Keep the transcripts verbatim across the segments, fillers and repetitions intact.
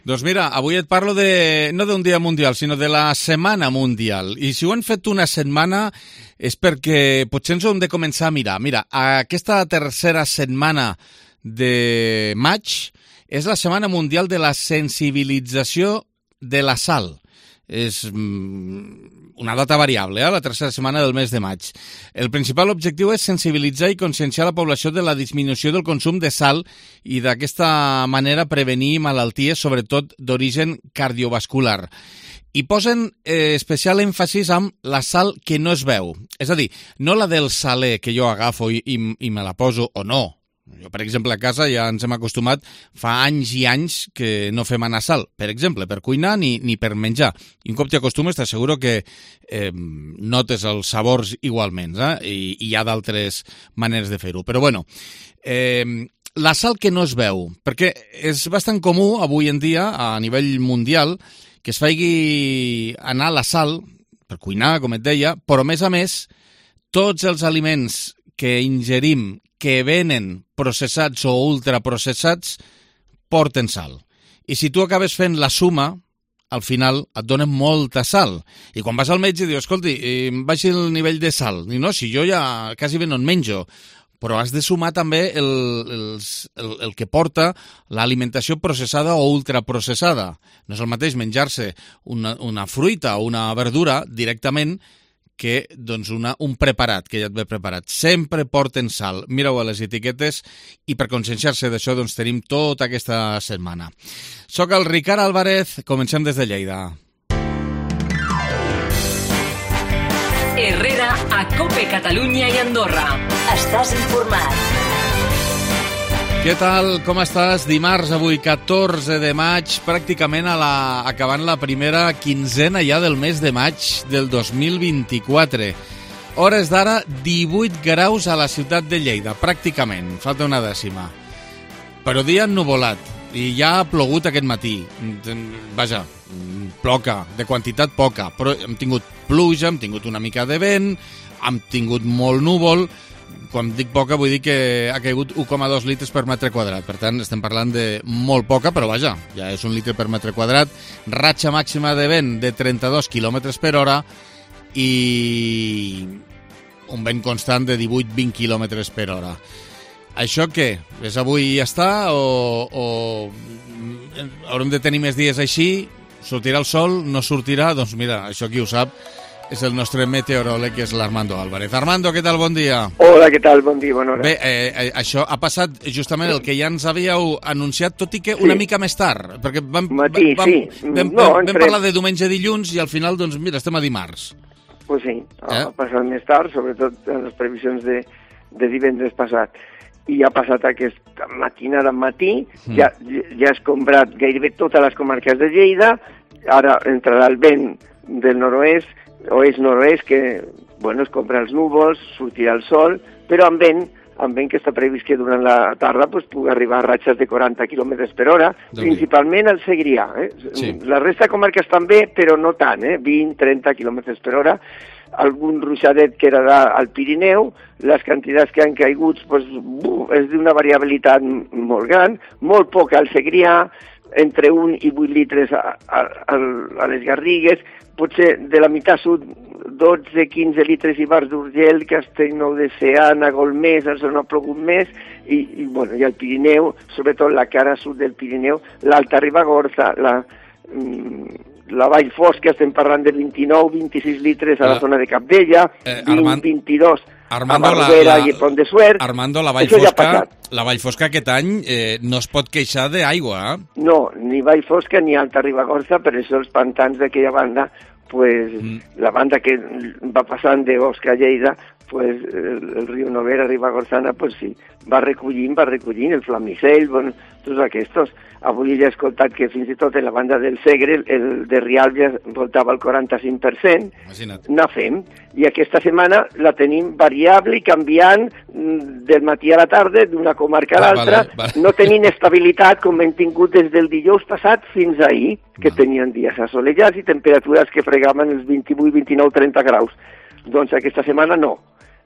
Doncs mira, avui et parlo de, no d'un dia mundial, sinó de la setmana mundial. I si ho han fet una setmana és perquè potser ens ho hem de començar a mirar. Mira, aquesta tercera setmana de maig és la setmana mundial de la sensibilització de la sal. És una data variable, eh? La tercera setmana del mes de maig. El principal objectiu és sensibilitzar i conscienciar la població de la disminució del consum de sal i d'aquesta manera prevenir malalties, sobretot d'origen cardiovascular. I posen eh, especial èmfasis amb la sal que no es veu. És a dir, no la del saler que jo agafo i, i, i me la poso o no. Jo, per exemple, a casa ja ens hem acostumat fa anys i anys que no fem anar sal, per exemple, per cuinar ni, ni per menjar. I un cop t'hi acostumes t'asseguro que eh, notes els sabors igualment, eh? I, i hi ha d'altres maneres de fer-ho. Però bueno, eh, la sal que no es veu, perquè és bastant comú avui en dia a nivell mundial que es faci anar la sal per cuinar, com et deia, però a més a més tots els aliments que ingerim que venen processats o ultraprocessats porten sal. I si tu acabes fent la suma, al final et donen molta sal. I quan vas al metge dius, escolti, em baixi el nivell de sal. I no, si jo ja quasi bé no en menjo. Però has de sumar també el, els, el, el que porta l'alimentació processada o ultraprocessada. No és el mateix menjar-se una, una fruita o una verdura directament que doncs una, un preparat, que ja et ve preparat. Sempre porten sal. Mireu a les etiquetes i per conscienciar-se d'això doncs tenim tota aquesta setmana. Soc el Ricard Álvarez, comencem des de Lleida. Herrera a COPE Catalunya i Andorra. Estàs informat. Què tal? Com estàs? Dimarts, avui, catorze de maig, pràcticament a la, acabant la primera quinzena ja del mes de maig del dos mil vint-i-quatre. Hores d'ara, divuit graus a la ciutat de Lleida, pràcticament, falta una dècima. Però dia ennuvolat, i ja ha plogut aquest matí. Vaja, ploca, de quantitat poca, però hem tingut pluja, hem tingut una mica de vent, hem tingut molt núvol. Quan dic poca vull dir que ha caigut u coma dos litres per metre quadrat. Per tant, estem parlant de molt poca, però vaja, ja és un litre per metre quadrat. Ratxa màxima de vent de trenta-dos quilòmetres per hora i un vent constant de divuit a vint quilòmetres per hora. Això què? És avui i ja està? O, o haurem de tenir més dies així? Sortirà el sol? No sortirà? Doncs mira, això qui ho sap és el nostre meteoròleg, que és l'Armando Álvarez. Armando, què tal? Bon dia. Hola, què tal? Bon dia, bona hora. Bé, eh, això ha passat justament el que ja ens havíeu anunciat, tot i que una sí. mica més tard, perquè vam, Matí, vam, sí. vam, no, vam, entre... vam parlar de diumenge a dilluns i al final, doncs mira, estem a dimarts. Pues sí, ha eh? passat més tard, sobretot en les previsions de, de divendres passat. I ha passat aquesta matinada al matí, mm. ja, ja ha escombrat gairebé totes les comarques de Lleida, ara entrarà el vent del nord-oest, oest-nord-oest, que, bueno, es compra els núvols, sortirà el sol, però amb vent, amb vent que està previst que durant la tarda pues, pugui arribar a ratxes de quaranta quilòmetres per hora, doncs principalment al Segrià. Eh? Sí. La resta de comarques també, però no tant, eh? vint a trenta quilòmetres per hora. Algun ruixadet que era al Pirineu, les quantitats que han caigut pues, buf, és d'una variabilitat molt gran, molt poca al Segrià, entre un i vuit litres a, a, a les Garrigues, potser de la meitat sud dotze a quinze litres i bars d'Urgell, Castellnou de Seana, Golmés, on ha plogut més, i, i, bueno, i el Pirineu, sobretot la cara sud del Pirineu, l'Alta Ribagorça, la, la Vall Fosca, estem parlant de vint-i-nou a vint-i-sis litres a la zona de Capdella, eh, vint a vint-i-dos Armando, a Barbera la, la, i Pont de Suert. Armando, la Vall Fosca, la Vall Fosca aquest any eh, no es pot queixar d'aigua, eh? No, ni Vall Fosca ni Alta Ribagorça, per això els pantans d'aquella banda, pues, mm. la banda que va passant de Osca a Lleida, pues, el, el riu Noguera, Ribagorzana, pues sí, va recollint, va recollint, el Flamisell, bueno, tots aquests. Avui ja he escoltat que fins i tot en la banda del Segre, el de Rialb ja voltava el quaranta-cinc per cent. Imagina't. Anar fent. I aquesta setmana la tenim variable i canviant del matí a la tarda, d'una comarca a l'altra, vale, vale. no tenint estabilitat com hem tingut des del dijous passat fins ahir, que vale. tenien dies assolellats i temperatures que fregaven els vint-i-vuit, vint-i-nou, trenta graus. Doncs aquesta setmana no.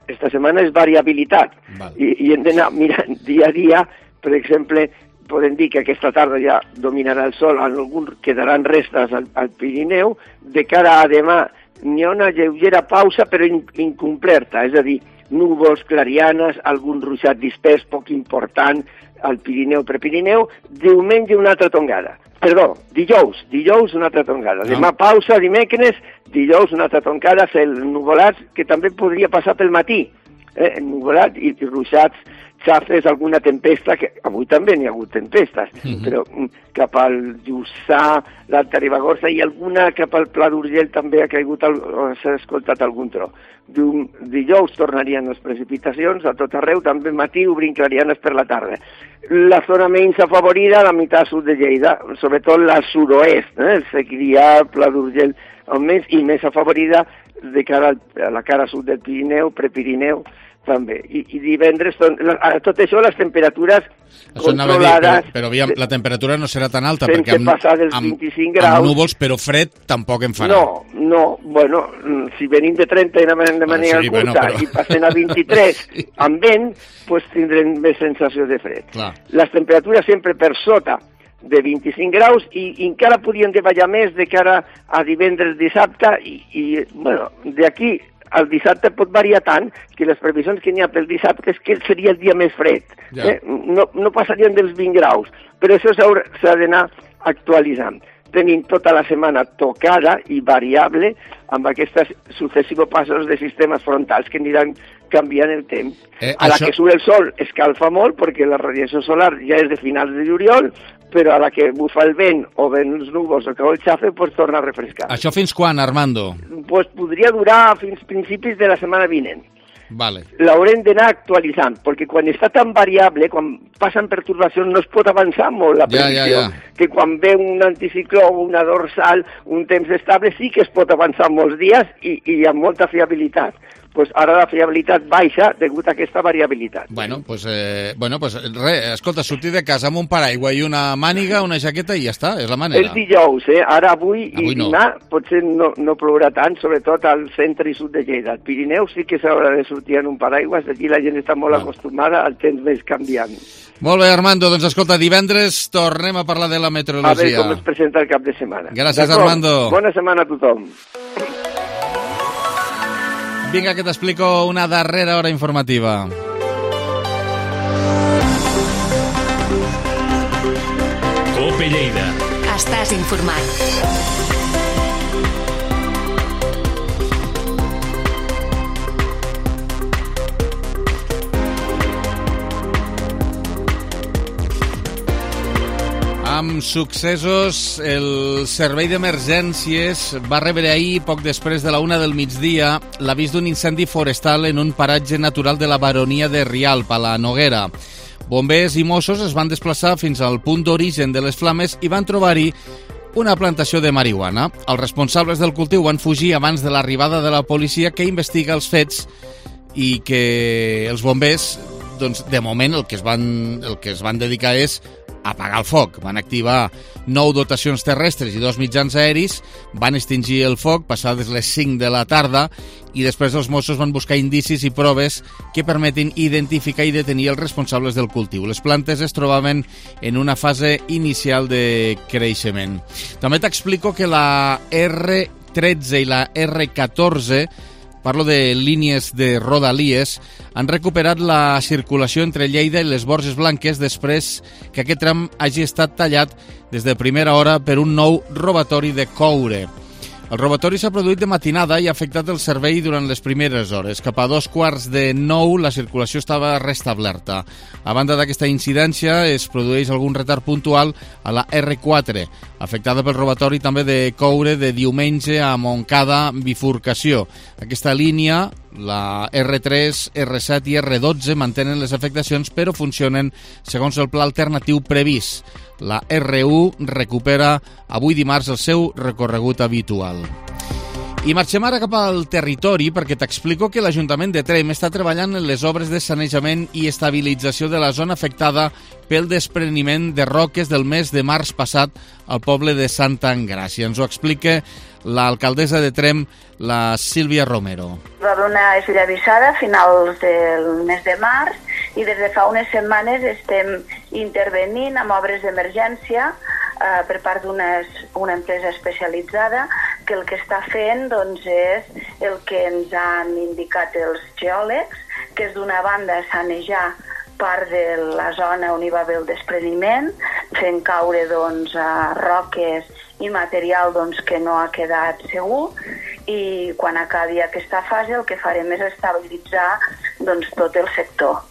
Esta setmana és variabilitat. Vale. I, i hem d'anar mirant dia a dia, per exemple, podem dir que aquesta tarda ja dominarà el sol, en algun quedaran restes al, al Pirineu. De cara a demà n'hi ha una lleugera pausa però in, incompleta, és a dir, núvols, clarianes, algun ruixat dispers poc important al Pirineu, Prepirineu. Diumenge una altra tongada. Perdó, dijous, dijous una altra tongada. Demà pausa, dimecres, dijous una altra tongada, cel nuvolats, que també podria passar pel matí. Eh, nuvolat i, i ruixats, xafes, alguna tempesta, que avui també n'hi ha hagut tempestes, uh-huh. però cap al Lluçà, l'Alta Ribagorça i alguna cap al Pla d'Urgell també ha caigut, s'ha escoltat algun tro. Dijous tornarien les precipitacions a tot arreu, també al matí obrint clarianes per la tarda. La zona menys afavorida, la meitat sud de Lleida, sobretot la sud-oest, eh? el Segrià, Pla d'Urgell, més, i més afavorida de cara a la cara sud del Pirineu, Prepirineu, també. I, i divendres, a tot això, les temperatures això controlades... Dir, però, però aviam, la temperatura no serà tan alta, perquè amb, passar dels amb, vint-i-cinc graus... amb núvols, però fred, tampoc en farà. No, no, bueno, si venim de trenta i anem de manera sí, curta bueno, però... i passem a vint-i-tres sí. amb vent, doncs tindrem més sensació de fred. Clar. Les temperatures sempre per sota de vint-i-cinc graus i, i encara podrien davallar més de cara a divendres, dissabte i, i bueno, d'aquí el dissabte pot variar tant que les previsions que n'hi ha pel dissabte és que seria el dia més fred. Ja. Eh? No, no passarien dels vint graus, però això s'ha d'anar actualitzant. Tenim tota la setmana tocada i variable amb aquests successius passos de sistemes frontals que aniran canviant el temps. Eh, a la això... que surt el sol escalfa molt perquè la radiació solar ja és de finals de juliol, però a la que bufa el vent o ven els núvols o cau el xafe, pues torna a refrescar. Això fins quan, Armando? Pues podria durar fins principis de la setmana vinent. Vale. L'haurem d'anar actualitzant, perquè quan està tan variable, quan passen pertorbacions, no es pot avançar molt la previsió. Ja, ja, ja. Que quan ve un anticicló o una dorsal, un temps estable, sí que es pot avançar molts dies i, i amb molta fiabilitat. Pues ara la fiabilitat baixa degut a aquesta variabilitat. Bueno, pues, eh, bueno, pues res, escolta, sortir de casa amb un paraigua i una màniga, una jaqueta i ja està, és la manera. És dijous, eh? Ara avui, avui i demà no. potser no, no plourà tant, sobretot al centre i sud de Lleida. Al Pirineu sí que s'haurà de sortir en un paraigua, aquí la gent està molt no. acostumada al temps més canviant. Molt bé, Armando, doncs escolta, divendres tornem a parlar de la meteorologia. A veure com es presenta el cap de setmana. Gràcies, Armando. Bona setmana a tothom. Vinga, que t'explico una darrera hora informativa. Cope Lleida. Estàs informat. Amb successos, el servei d'emergències va rebre ahir, poc després de la una del migdia, l'avís d'un incendi forestal en un paratge natural de la baronia de Rialp, a la Noguera. Bombers i Mossos es van desplaçar fins al punt d'origen de les flames i van trobar-hi una plantació de marihuana. Els responsables del cultiu van fugir abans de l'arribada de la policia, que investiga els fets, i que els bombers, doncs, de moment, el que es van, el que es van dedicar és apagar el foc. Van activar nou dotacions terrestres i dos mitjans aeris, van extingir el foc passades les cinc de la tarda i després els Mossos van buscar indicis i proves que permetin identificar i detenir els responsables del cultiu. Les plantes es trobaven en una fase inicial de creixement. També t'explico que la erre tretze i la erre catorze, parlo de línies de Rodalies, han recuperat la circulació entre Lleida i les Borges Blanques després que aquest tram hagi estat tallat des de primera hora per un nou robatori de coure. El robatori s'ha produït de matinada i ha afectat el servei durant les primeres hores. Cap a dos quarts de nou la circulació estava restablerta. A banda d'aquesta incidència, es produeix algun retard puntual a la erre quatre, afectada pel robatori també de coure de diumenge a Montcada bifurcació. Aquesta línia, la erre tres, erre set i erre dotze, mantenen les afectacions però funcionen segons el pla alternatiu previst. La erre u recupera avui dimarts el seu recorregut habitual. I marxem ara cap al territori perquè t'explico que l'Ajuntament de Tremp està treballant en les obres de sanejament i estabilització de la zona afectada pel despreniment de roques del mes de març passat al poble de Santa Engràcia. Ens ho explica l'alcaldessa de Tremp, la Sílvia Romero. Va haver una esllavissada a finals del mes de març i des de fa unes setmanes estem intervenint amb obres d'emergència eh, per part d'una una empresa especialitzada que el que està fent doncs, és el que ens han indicat els geòlegs, que és d'una banda sanejar part de la zona on hi va haver el despreniment, fent caure doncs, a roques i material doncs, que no ha quedat segur, i quan acabi aquesta fase el que farem és estabilitzar doncs, tot el sector.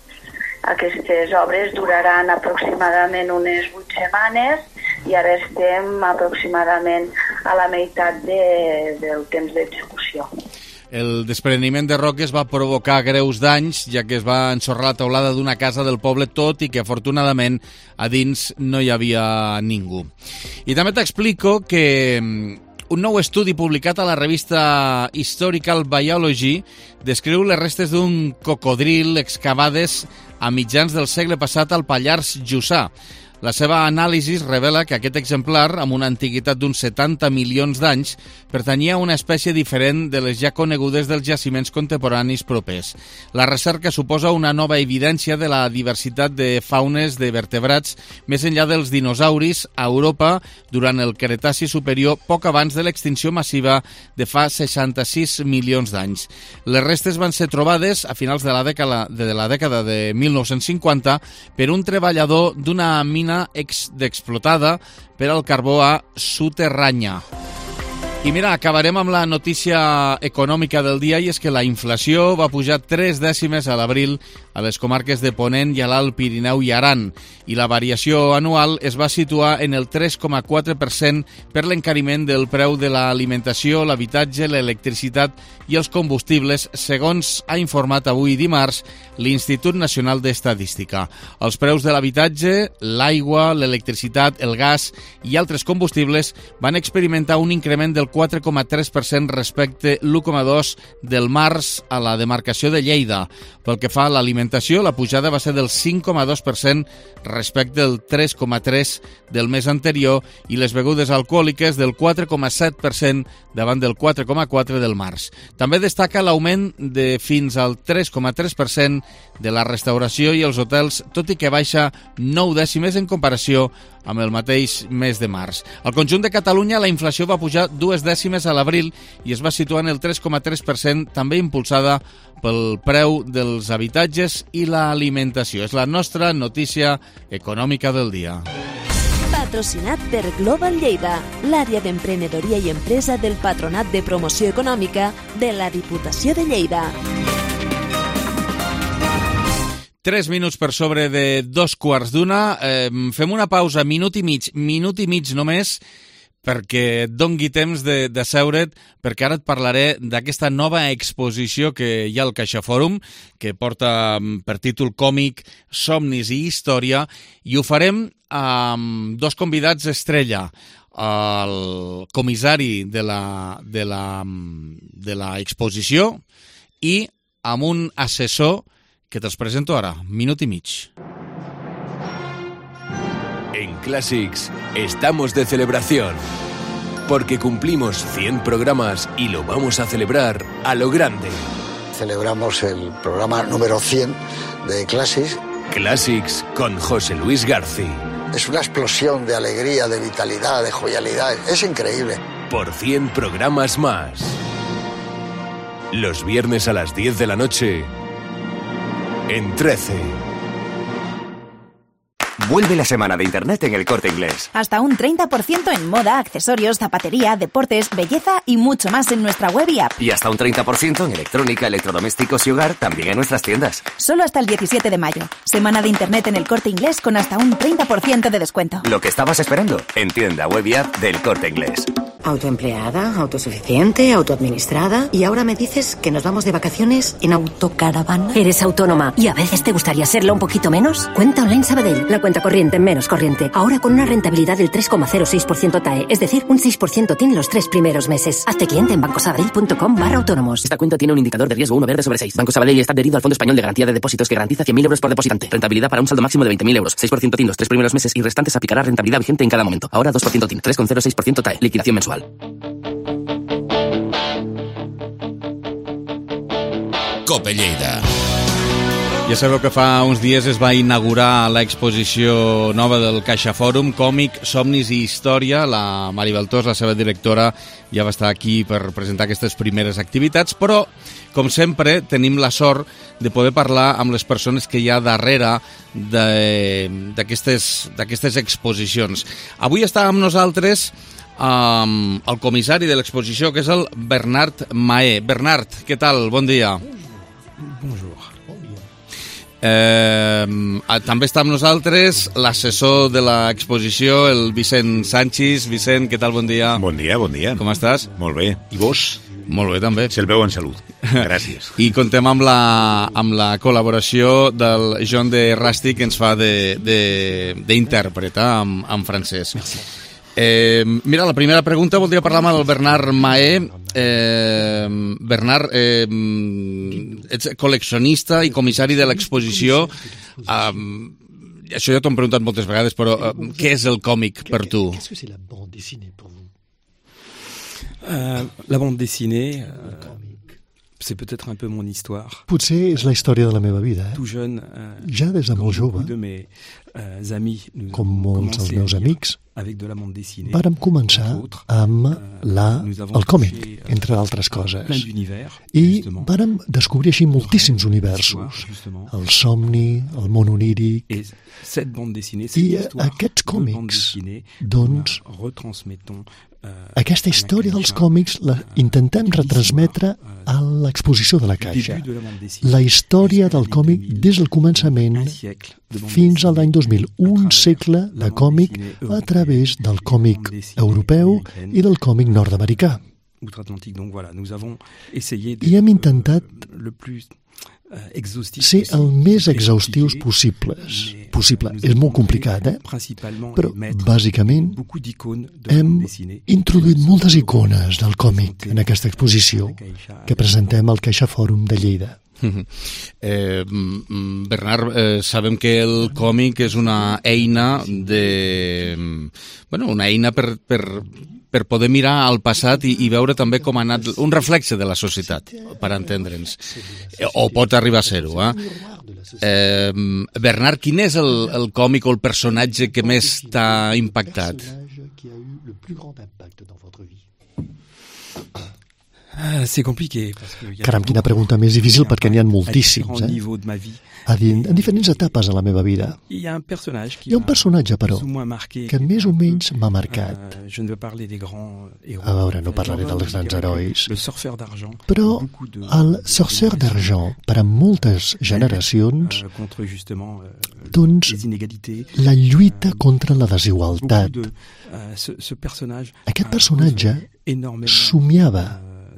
Aquestes obres duraran aproximadament unes vuit setmanes i ara estem aproximadament a la meitat de, del temps d'execució. El despreniment de roques va provocar greus danys, ja que es va ensorrar la teulada d'una casa del poble, tot i que afortunadament a dins no hi havia ningú. I també t'explico que un nou estudi publicat a la revista Historical Biology descriu les restes d'un cocodril excavades a mitjans del segle passat al Pallars Jussà. La seva anàlisi revela que aquest exemplar, amb una antiguitat d'uns setanta milions d'anys, pertanyia a una espècie diferent de les ja conegudes dels jaciments contemporanis propers. La recerca suposa una nova evidència de la diversitat de faunes de vertebrats més enllà dels dinosauris a Europa durant el Cretaci superior, poc abans de l'extinció massiva de fa seixanta-sis milions d'anys. Les restes van ser trobades a finals de la dècada de, la dècada de mil nou-cents cinquanta per un treballador d'una mina explotada per al carbó a Suterranya. I mira, acabarem amb la notícia econòmica del dia, i és que la inflació va pujar tres dècimes a l'abril a les comarques de Ponent i a l'Alt Pirineu i Aran, i la variació anual es va situar en el tres coma quatre per cent per l'encariment del preu de l'alimentació, l'habitatge, l'electricitat i els combustibles, segons ha informat avui dimarts l'Institut Nacional d'Estadística. Els preus de l'habitatge, l'aigua, l'electricitat, el gas i altres combustibles van experimentar un increment del quatre coma tres per cent respecte l'u coma dos del març a la demarcació de Lleida. Pel que fa a l'alimentació, la pujada va ser del cinc coma dos per cent respecte al tres coma tres per cent del mes anterior i les begudes alcohòliques del quatre coma set per cent davant del quatre coma quatre per cent del març. També destaca l'augment de fins al tres coma tres per cent de la restauració i els hotels, tot i que baixa nou dècimes en comparació amb el mateix mes de març. Al conjunt de Catalunya, la inflació va pujar dues dècimes a l'abril i es va situar en el tres coma tres per cent, també impulsada pel preu dels habitatges i l'alimentació. És la nostra notícia econòmica del dia. Patrocinat per Global Lleida, l'àrea d'emprenedoria i empresa del Patronat de Promoció Econòmica de la Diputació de Lleida. Tres minuts per sobre de dos quarts d'una. Eh, fem una pausa, minut i mig, minut i mig només, perquè et dongui temps de, de seure't, perquè ara et parlaré d'aquesta nova exposició que hi ha al CaixaFòrum, que porta per títol còmic Somnis i Història, i ho farem amb dos convidats estrella, el comissari de la, de la, de la exposició i amb un assessor que te'ls presento ara, minut i mig. En Classics estamos de celebración, porque cumplimos cien programas y lo vamos a celebrar a lo grande. Celebramos el programa número cien de Classics. Classics con José Luis García. Es una explosión de alegría, de vitalidad, de jovialidad. Es increíble. Por cien programas más. Los viernes a las diez de la noche en trece. Vuelve la semana de Internet en El Corte Inglés. Hasta un treinta por ciento en moda, accesorios, zapatería, deportes, belleza y mucho más en nuestra web y app. Y hasta un treinta por ciento en electrónica, electrodomésticos y hogar, también en nuestras tiendas. Solo hasta el diecisiete de mayo. Semana de Internet en El Corte Inglés con hasta un treinta por ciento de descuento. Lo que estabas esperando, en tienda web y app del Corte Inglés. Autoempleada, autosuficiente, autoadministrada. Y ahora me dices que nos vamos de vacaciones en autocaravana. ¿Eres autónoma y a veces te gustaría serlo un poquito menos? Cuenta Online Sabadell, la cuenta corriente menos corriente. Ahora con una rentabilidad del tres coma cero seis por ciento T A E, es decir, un seis por ciento T I N los tres primeros meses. Hazte cliente en bancosabadell.com barra autónomos. Esta cuenta tiene un indicador de riesgo uno verde sobre seis. Banco Sabadell está adherido al Fondo Español de Garantía de Depósitos que garantiza cien mil euros por depositante. Rentabilidad para un saldo máximo de veinte mil euros. seis por ciento T I N los tres primeros meses y restantes aplicará rentabilidad vigente en cada momento. Ahora dos por ciento T I N, tres coma cero seis por ciento T A E. Liquidación mensual. Cope Lleida. Ja sabeu que fa uns dies es va inaugurar l'exposició nova del Caixa Fòrum, Còmic, Somnis i Història. La Mari Baltós, la seva directora, ja va estar aquí per presentar aquestes primeres activitats, però, com sempre, tenim la sort de poder parlar amb les persones que hi ha darrere d'aquestes exposicions. Avui està amb nosaltres um, el comissari de l'exposició, que és el Bernard Mahé. Bernard, què tal? Bon dia. Bonjour. Eh, també està amb nosaltres l'assessor de l'exposició, el Vicent Sanchis. Vicent, què tal? Bon dia. Bon dia, bon dia. Com estàs? Molt bé. I vos? Molt bé, també. Se'l veu en salut. Gràcies. I contem amb la, amb la col·laboració del John de Rasti, que ens fa d'intèrpret en, en francès. Eh, mira, la primera pregunta voldria parlar amb el Bernard Mahé. Eh, Bernard, eh, ets col·leccionista i comissari de l'exposició. Eh, això ja t'ho hem preguntat moltes vegades, però eh, què és el còmic per tu? Euh, la bande dessinée, euh, c'est peut-être un peu mon histoire. Potser és la història de la meva vida. Eh? Tout jeune, euh, ja des de molt jove, de mes, euh, amis, com molts dels meus amics, avec de la bande dessinée, vàrem començar amb la, el còmic, entre altres coses. I vàrem descobrir així moltíssims universos. El somni, el món oníric. I aquests còmics, doncs, aquesta història dels còmics la intentem retransmetre a l'exposició de la Caixa. La història del còmic des del començament fins a l'any dos mil, un segle de còmic a través del còmic europeu i del còmic nord-americà. I hem intentat ser el més exhaustius possibles. Possible. És molt complicat, eh? Però, bàsicament, hem introduït moltes icones del còmic en aquesta exposició que presentem al Caixa Fòrum de Lleida. Eh, Bernard, eh, sabem que el còmic és una eina de... Bueno, una eina per... per per poder mirar al passat i, i veure també com ha anat un reflexe de la societat, per entendre'ns. O pot arribar a ser-ho, eh? eh? Bernard, quin és el, el còmic o el personatge que més t'ha impactat? C'est compliqué. Caram, quina pregunta més difícil, perquè n'hi ha moltíssims, eh? A din, en diferents etapes de la meva vida. Hi ha un personatge, Hi ha un personatge però, que més o menys m'ha marcat. A veure, no parlaré dels grans herois. Però el Sorceur d'Argent, per a moltes generacions, doncs, la lluita contra la desigualtat. Aquest personatge somiava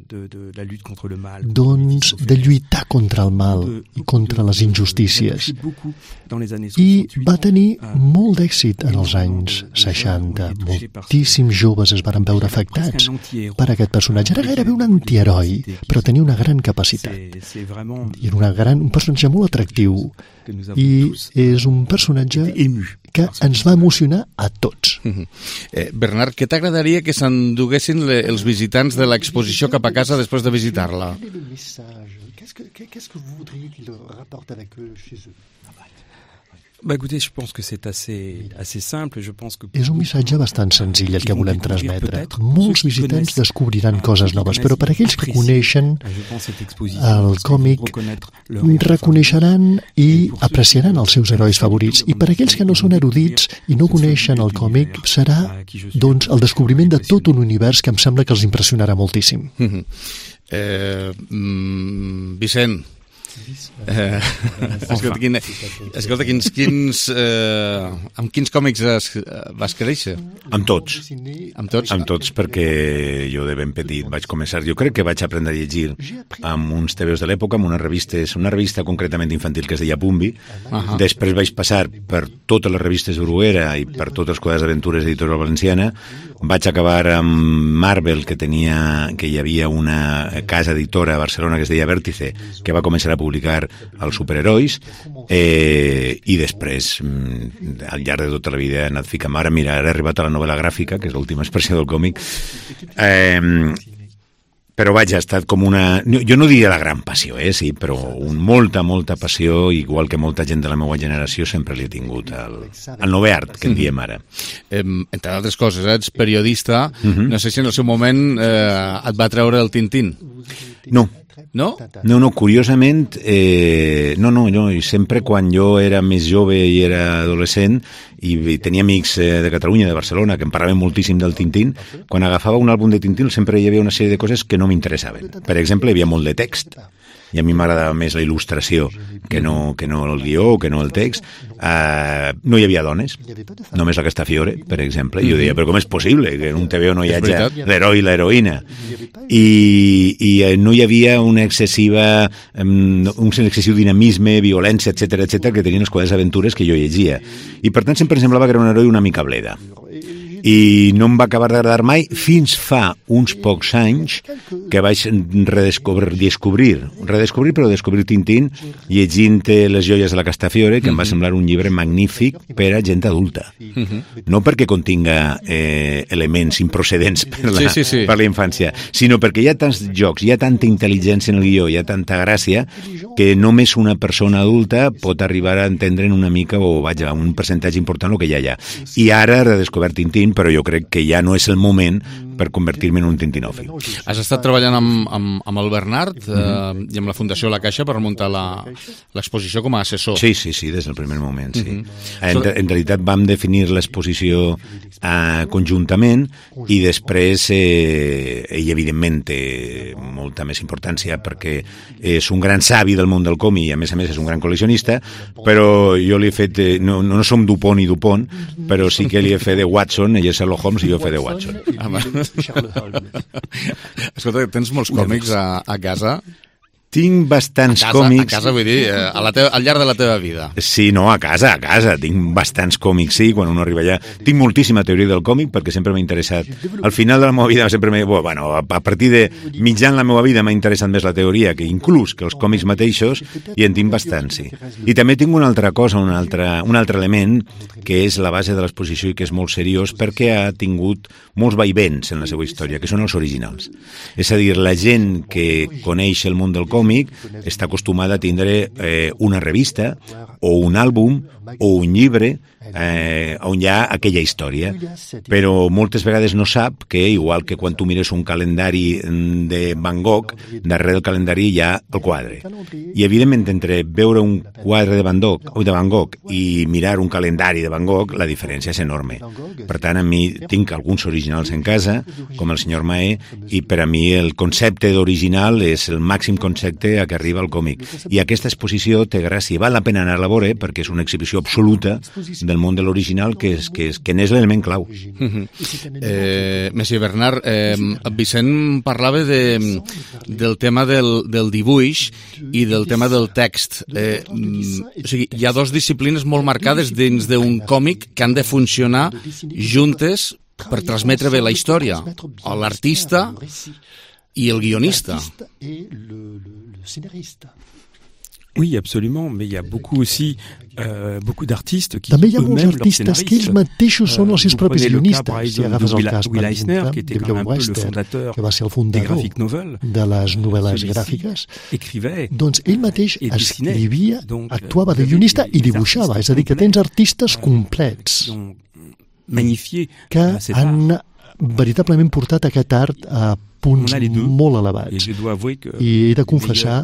De, de la lutte contre le mal. Doncs de lluitar contra el mal i contra les injustícies. I va tenir molt d'èxit en els anys seixanta. Moltíssims joves es varen veure afectats per aquest personatge. Era gairebé un antiheroi, però tenia una gran capacitat. I era una gran, un personatge molt atractiu. I és un personatge que ens va emocionar a tots. Eh, Bernard, què t'agradaria que s'enduguessin els visitants de l'exposició cap a casa després de visitar-la? Qu'est-ce que vous voudriez qu'ils rapportent avec eux chez eux? Bah écoutez, je pense que c'est assez, assez simple. Je pense que és un missatge bastant senzill el que volem transmetre. Molts visitants descobriran coses noves, però per aquells que coneixen el còmic reconeixeran i apreciaran els seus herois favorits. I per aquells que no són erudits i no coneixen el còmic, serà doncs el descobriment de tot un univers que em sembla que els impressionarà moltíssim. eh, mm, Vicent, Eh, escolta, quin, escolta quins, quins, eh, amb quins còmics es, vas créixer? Amb tots. Amb tots? Amb tots, perquè jo de ben petit vaig començar, jo crec que vaig aprendre a llegir amb uns tebeus de l'època, amb unes revistes, una revista concretament infantil que es deia Pumbi. Uh-huh. Després vaig passar per totes les revistes Bruguera i per tots els quadres d'aventures editorial valenciana. Vaig acabar amb Marvel, que tenia, que hi havia una casa editora a Barcelona que es deia Vértice, que va començar a publicar els superherois, eh, i després, al llarg de tota la vida, he anat ficant. Ara, mira, ara he arribat a la novel·la gràfica, que és l'última expressió del còmic. Eh, Però vaja, ha estat com una... Jo no diria la gran passió, eh, sí, però un, molta, molta passió, igual que molta gent de la meva generació, sempre li he tingut el, el nou art, que en diem ara. Eh, entre altres coses, eh, ets periodista, uh-huh. No sé si en el seu moment eh, et va treure el Tintín. No. No? No, no, curiosament, eh, no, no, jo sempre quan jo era més jove i era adolescent i tenia amics eh, de Catalunya, de Barcelona, que em parlaven moltíssim del Tintín, quan agafava un àlbum de Tintín sempre hi havia una sèrie de coses que no m'interessaven. Per exemple, hi havia molt de text, i a mi m'agradava més la il·lustració que no, que no el guió o que no el text. Uh, no hi havia dones, només la Castafiore, per exemple. I jo deia, però com és possible que en un T V O no hi hagi l'heroi i l'heroïna? I, i no hi havia una excessiva, um, un excessiu dinamisme, violència, etcètera, etcètera, que tenien les quadres aventures que jo llegia. I per tant sempre em semblava que era un heroi una mica bleda. I no em va acabar d'agradar mai fins fa uns pocs anys que vaig redescobrir, descobrir, redescobrir però descobrir Tintín llegint Les joies de la Castafiore, que em va semblar un llibre magnífic per a gent adulta. No perquè continga eh, elements improcedents per la, sí, sí, sí. per la infància, sinó perquè hi ha tants jocs, hi ha tanta intel·ligència en el guió, hi ha tanta gràcia, que només una persona adulta pot arribar a entendre una mica, o vaja, un percentatge important el que hi ha allà. I ara he redescobert Tintín, però jo crec que ja no és el moment per convertir-me en un tintinòfil. Has estat treballant amb, amb, amb el Bernard eh, uh-huh. i amb la Fundació La Caixa per muntar l'exposició com a assessor. Sí, sí, sí, des del primer moment, sí. Uh-huh. En, en realitat vam definir l'exposició eh, conjuntament i després, eh, ell evidentment té molta més importància perquè és un gran savi del món del còmic i a més a més és un gran col·leccionista, però jo li he fet, eh, no, no som Dupont i Dupont, però sí que li he fet de Watson, ell és Sherlock Holmes i jo he fet de Watson. Escolta, tens molts còmics a, a casa? Tinc bastants a casa, còmics... A casa, vull dir, a la teva, al llarg de la teva vida. Sí, no, a casa, a casa. Tinc bastants còmics, sí, quan uno arriba allà. Tinc moltíssima teoria del còmic perquè sempre m'ha interessat. Al final de la meva vida sempre m'ha... Bueno, a partir de mitjan la meva vida m'ha interessat més la teoria que inclús que els còmics mateixos, i en tinc bastants, sí. I també tinc una altra cosa, un altre, un altre element, que és la base de l'exposició i que és molt seriós perquè ha tingut molts vaivents en la seva història, que són els originals. És a dir, la gent que coneix el món del còmic còmic està acostumada a tindre eh, una revista o un àlbum o un llibre eh, on hi ha aquella història, però moltes vegades no sap que, igual que quan tu mires un calendari de Van Gogh, darrere del calendari hi ha el quadre. I evidentment, entre veure un quadre de Van Gogh, o de Van Gogh i mirar un calendari de Van Gogh, la diferència és enorme. Per tant, a mi tinc alguns originals en casa, com el senyor Mahé, i per a mi el concepte d'original és el màxim concepte a què arriba el còmic. I aquesta exposició té gràcia, val la pena anar a la veure perquè és una exhibició absoluta del món de l'original, que és, que és, que n'és l'element clau. Uh-huh. eh, Messi Bernard, eh, Vicent parlava de, del tema del, del dibuix i del tema del text. Eh, o sigui, hi ha dues disciplines molt marcades dins d'un còmic que han de funcionar juntes per transmetre bé la història. L'artista i el guionista. Oui, absolument, mais il y a beaucoup aussi euh, beaucoup d'artistes qui també hi ha molts artistes que ells mateixos són els seus propis guionistes. Si agafes el cas, per exemple, de Will Wester, que va ser el fundador de les novel·les gràfiques, doncs ell mateix escrivia, actuava de guionista i dibuixava. És a dir, que tens artistes complets que han veritablement portat aquest art a punts molt elevats. I he de confessar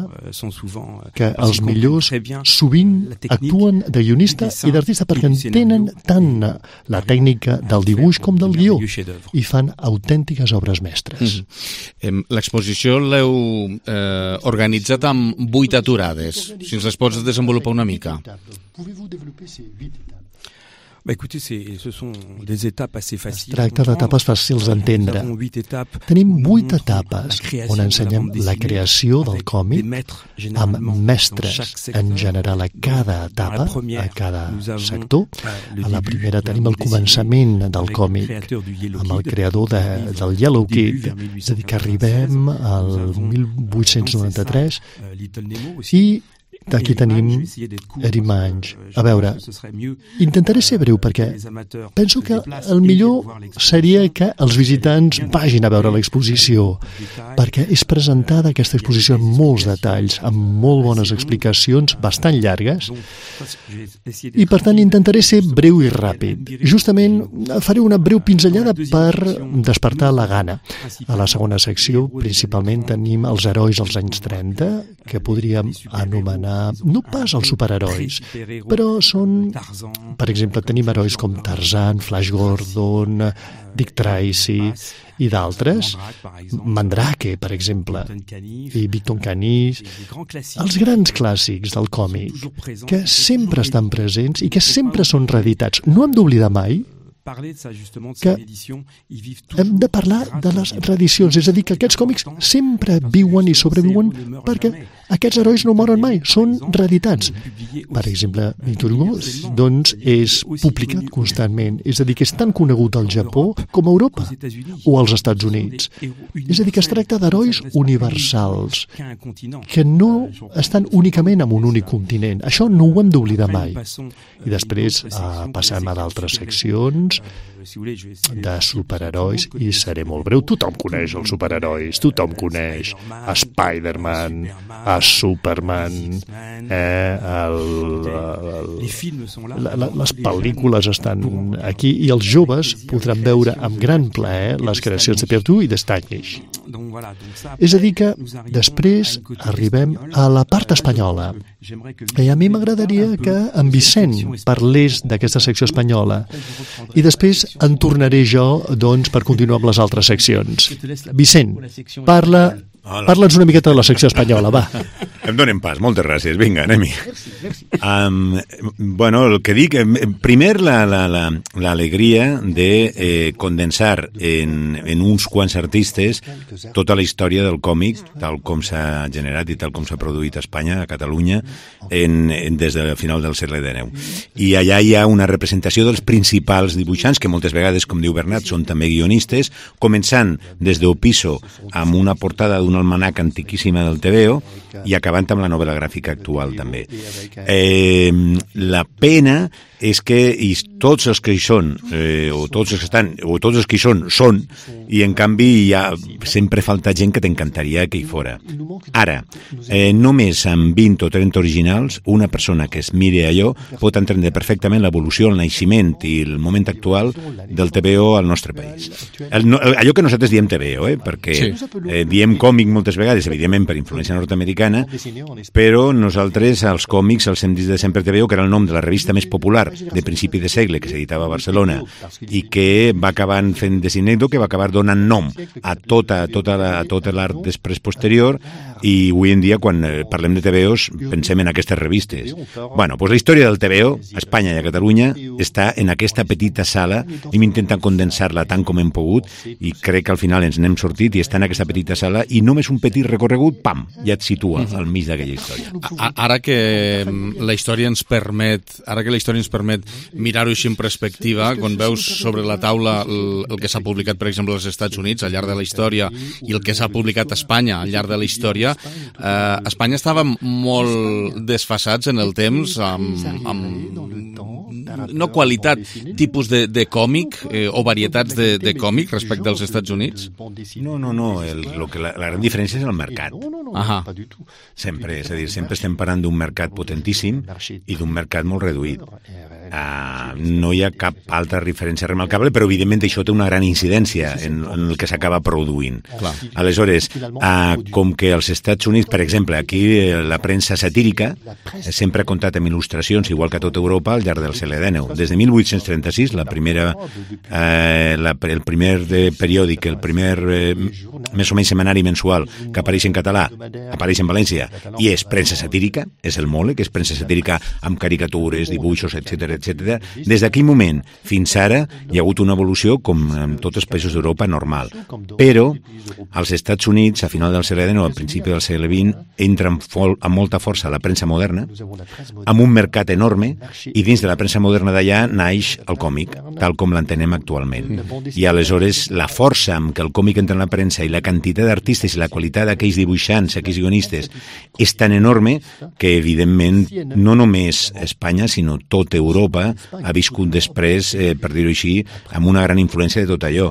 que els millors sovint actuen de guionista i d'artista perquè entenen tant la tècnica del dibuix com del guió i fan autèntiques obres mestres. Mm. L'exposició l'heu eh, organitzat amb vuit aturades. Si ens les pots desenvolupar una mica. Bah écoutez, c'est, ce sont des étapes assez faciles. Es tracta d'etapes fàcils d'entendre. Tenim vuit etapes on ensenyem la creació del còmic amb mestres en general a cada etapa, a cada sector. A la primera tenim el començament del còmic amb el creador de, del Yellow Kid, és a dir, que arribem al mil vuit-cents noranta-tres i aquí tenim Eddie Mange. A veure, intentaré ser breu perquè penso que el millor seria que els visitants vagin a veure l'exposició, perquè és presentada aquesta exposició amb molts detalls, amb molt bones explicacions, bastant llargues, i per tant intentaré ser breu i ràpid. Justament faré una breu pinzellada per despertar la gana. A la segona secció, principalment, tenim els herois als anys trenta, que podríem anomenar no pas els superherois, però són, per exemple, tenim herois com Tarzan, Flash Gordon, Dick Tracy i d'altres, Mandrake, per exemple, i Victor Canis, els grans clàssics del còmic, que sempre estan presents i que sempre són reeditats. No hem d'oblidar mai que hem de parlar de les reedicions, és a dir, que aquests còmics sempre viuen i sobreviuen perquè aquests herois no moren mai, són reeditats. Per exemple, Victor Hugo doncs, és publicat constantment, és a dir, que és tan conegut al Japó com a Europa o als Estats Units. És a dir, que es tracta d'herois universals, que no estan únicament en un únic continent. Això no ho hem d'oblidar mai. I després eh, passem a d'altres seccions de superherois i seré molt breu. Tothom coneix els superherois, tothom coneix a Spider-Man, a Superman, eh, el, el, la, la, les pel·lícules estan aquí i els joves podran veure amb gran plaer les creacions de Pierre Tout i de Stanish. És a dir que després arribem a la part espanyola i a mi m'agradaria que en Vicent parlés d'aquesta secció espanyola i després en tornaré jo doncs, per continuar amb les altres seccions. Vicent, parla, parla'ns una miqueta de la secció espanyola, va. Em donen pas, moltes gràcies, vinga, anem-hi. Um, bueno, el que dic, primer l'alegria la, la, de eh, condensar en, en uns quants artistes tota la història del còmic, tal com s'ha generat i tal com s'ha produït a Espanya, a Catalunya, en, en, des del final del segle dinou. I allà hi ha una representació dels principals dibuixants, que moltes vegades, com diu Bernat, són també guionistes, començant des d'Opiso amb una portada d'un almanac antiquíssima del T V O i acabant amb la novel·la gràfica actual també. Eh, la pena és que i tots els que hi són, eh, o tots els que estan, o tots els que hi són, són, i en canvi hi ha, sempre falta gent que t'encantaria que hi fora. Ara, eh, només amb vint o trenta originals, una persona que es miri allò pot entendre perfectament l'evolució, el naixement i el moment actual del T V O al nostre país. El, no, allò que nosaltres diem T V O, eh, perquè eh, diem còmic moltes vegades, evidentment per influència nord-americana, però nosaltres als còmics els hem dit de sempre T V O, que era el nom de la revista més popular de principi de segle que s'editava a Barcelona i que va acabar fent desinècto, que va acabar donant nom a tota, tota la, a tot l'art després posterior, i avui en dia quan parlem de T V Os pensem en aquestes revistes. Bueno, doncs la història del T V O a Espanya i a Catalunya està en aquesta petita sala, hem intentat condensar-la tant com hem pogut i crec que al final ens n'hem sortit i està en aquesta petita sala i només un petit recorregut, pam, ja et situa al mig d'aquella història. Ara que la història ens permet, ara que la història ens permet mirar-ho així en perspectiva, quan veus sobre la taula el, el que s'ha publicat, per exemple, als Estats Units al llarg de la història i el que s'ha publicat a Espanya al llarg de la història, eh, Espanya estava molt desfasats en el temps amb, amb no qualitat, tipus de, de còmic eh, o varietats de, de còmic respecte als Estats Units? No, no, no, el, lo que la, la gran diferència és el mercat. Ahà. Sempre, és a dir, sempre estem parlant d'un mercat potentíssim i d'un mercat molt reduït. Uh, no hi ha cap altra referència remarcable, però evidentment això té una gran incidència en, en el que s'acaba produint. Clar. Aleshores, uh, com que als Estats Units, per exemple, aquí la premsa satírica sempre ha comptat amb il·lustracions, igual que a tota Europa, al llarg del segle dinou. Des de mil vuit-cents trenta-sis, la primera, uh, la, el primer de periòdic, el primer eh, més o menys setmanari mensual que apareix en català, apareix en València, i és premsa satírica, és el Mole, que és premsa satírica amb caricatures, dibuixos, etcètera, etcètera. Des d'aquell moment fins ara hi ha hagut una evolució com en tots els països d'Europa normal. Però als Estats Units, a final del segle dinou, al principi del segle vint, entra amb, fol, amb molta força la premsa moderna, amb un mercat enorme, i dins de la premsa moderna d'allà naix el còmic, tal com l'entenem actualment. I aleshores la força amb què el còmic entra en la premsa i la quantitat d'artistes i la qualitat d'aquells dibuixants, aquells guionistes, és tan enorme que, evidentment, no només Espanya, sinó tota Europa ha viscut després, eh, per dir-ho així, amb una gran influència de tot allò.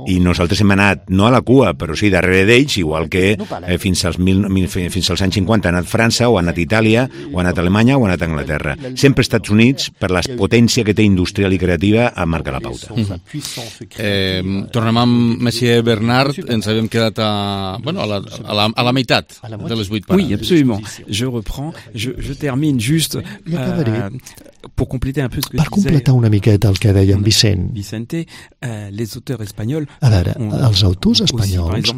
I nosaltres hem anat, no a la cua, però sí darrere d'ells, igual que eh, fins, als mil, fins als anys cinquanta ha anat França, o ha anat Itàlia, o ha anat Alemanya, o ha anat Anglaterra. Sempre Estats Units, per la potència que té industrial i creativa, ha marcat la pauta. Mm-hmm. eh, tornem amb Monsieur Bernard, ens havíem quedat a, bueno, a, la, a, la, a la meitat de les vuit parades. Oui, absolument. Je reprends, je, je termine juste euh, pour compléter un peu ce que per completar una miqueta el que deia en Vicent. Vicente, euh, les auteurs espagnols... A veure, els autors espanyols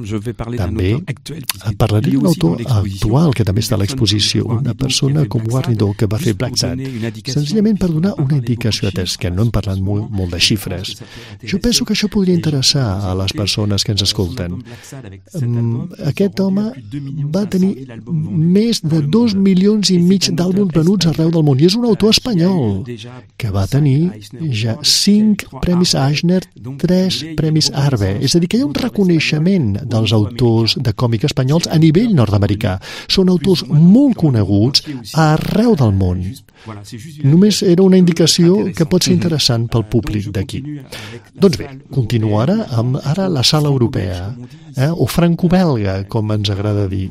també... Parlaré d'un autor actual que també està a l'exposició, una persona com Guarnido que va fer Black Sat, senzillament per donar una indicació, atès que no hem parlat molt, molt de xifres. Jo penso que això podria interessar a les persones que ens escolten. Aquest home va tenir més de dos milions i mig d'àlbums venuts arreu del món, i és un autor espanyol que va tenir ja cinc premis Eisner, tres premis Arve. És a dir, que hi ha un reconeixement dels autors de còmic espanyols a nivell nord-americà. Són autors molt coneguts arreu del món. Només era una indicació que pot ser interessant pel públic d'aquí. Doncs bé, continuo ara amb ara la sala europea, eh? O franco-belga, com ens agrada dir,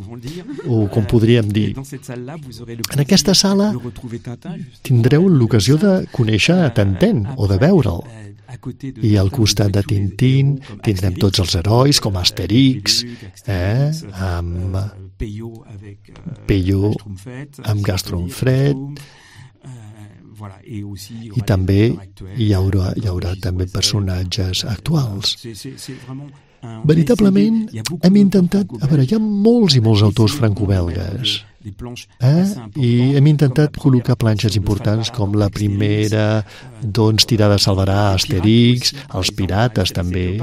o com podríem dir. En aquesta sala tindreu l'ocasió de conèixer a Tintín o de veure'l. I al costat de Tintín tindrem tots els herois com Asterix, eh? amb Peyo, amb Gastronfred, i també hi haurà, hi haurà també personatges actuals. Veritablement hem intentat... A veure, hi ha molts i molts autors franco-belgues, eh? I hem intentat col·locar planxes importants com la primera, doncs, tirada salvarà Asterix, els pirates també,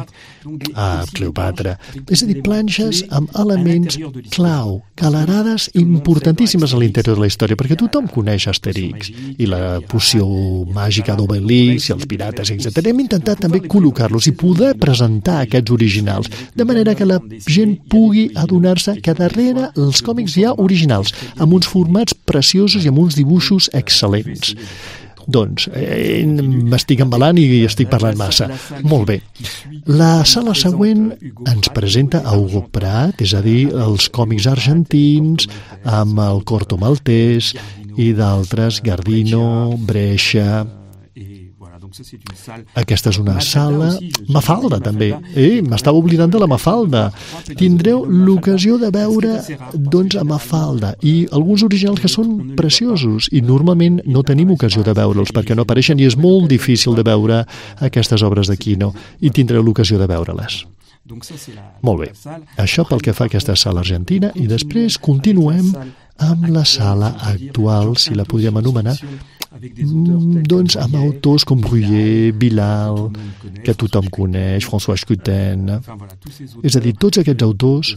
a Cleopatra. És a dir, planxes amb elements clau, calarades importantíssimes a l'interior de la història, perquè tothom coneix Asterix i la poció màgica d'Obelix i els pirates, etcètera. Hem intentat també col·locar-los i poder presentar aquests originals, de manera que la gent pugui adonar-se que darrere els còmics hi ha originals, amb uns formats preciosos i amb uns dibuixos excel·lents. Doncs, eh, m'estic embalant i estic parlant massa. Molt bé. La sala següent ens presenta a Hugo Pratt, és a dir, els còmics argentins, amb el Corto Maltès i d'altres, Gardino, Brescia... Aquesta és una sala... Mafalda, també. Eh, m'estava oblidant de la Mafalda. Tindreu l'ocasió de veure, doncs, a Mafalda i alguns originals que són preciosos i normalment no tenim ocasió de veure'ls perquè no apareixen i és molt difícil de veure aquestes obres de Quino i tindreu l'ocasió de veure-les. Molt bé. Això pel que fa a aquesta sala argentina i després continuem amb la sala actual, si la podríem anomenar, doncs amb autors com Bruyère, Bilal, que tothom coneix, François Coutin, és a dir, tots aquests autors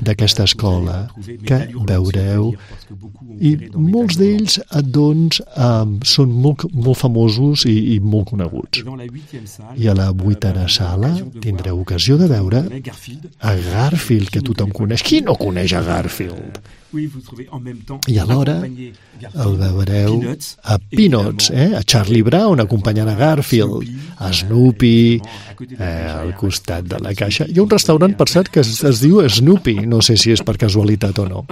d'aquesta escola que veureu, i molts d'ells doncs són molt, molt famosos i, i molt coneguts. I a la vuitena sala tindreu ocasió de veure a Garfield, que tothom coneix. Qui no coneix a Garfield? I alhora el veureu a Peanuts, eh? A Charlie Brown acompanyant a Garfield, a Snoopy, eh, al costat de la caixa. Hi ha un restaurant, per cert, que es, es diu Snoopy, no sé si és per casualitat o no.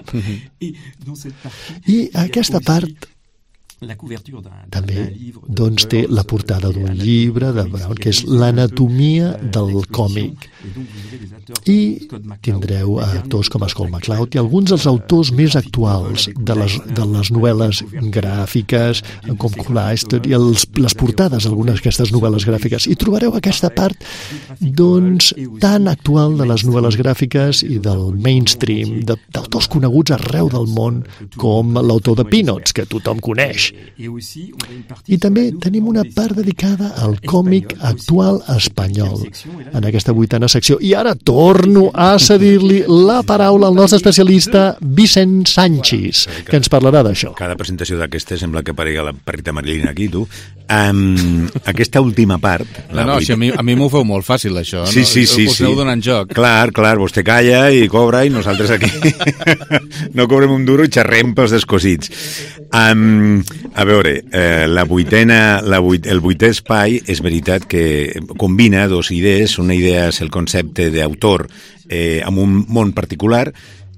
I aquesta part també doncs, té la portada d'un llibre de Brown, que és l'anatomia del còmic. I tindreu actors com Scott McCloud i alguns dels autors més actuals de les, de les novel·les gràfiques, com Cooleyster, i els, les portades d'algunes d'aquestes novel·les gràfiques. I trobareu aquesta part doncs, tan actual de les novel·les gràfiques i del mainstream, d'autors coneguts arreu del món, com l'autor de Peanuts, que tothom coneix. anys. I també tenim una part dedicada al còmic actual espanyol en aquesta vuitena secció. I ara torno a cedir-li la paraula al nostre especialista Vicent Sanchis, que ens parlarà d'això. Cada presentació d'aquesta sembla que aparega la perrita Marilina aquí, tu. Um, aquesta última part... No, no, si a mi, a mi m'ho feu molt fàcil, això. Sí, sí, sí. Us sí. aneu donant joc. Clar, clar, vostè calla i cobra i nosaltres aquí no cobrem un duro i xerrem pels descosits. Um, a veure, eh, la vuitena, la vuit, el vuitè espai és veritat que combina dos idees. Una idea és el concepte d'autor eh, amb un món particular,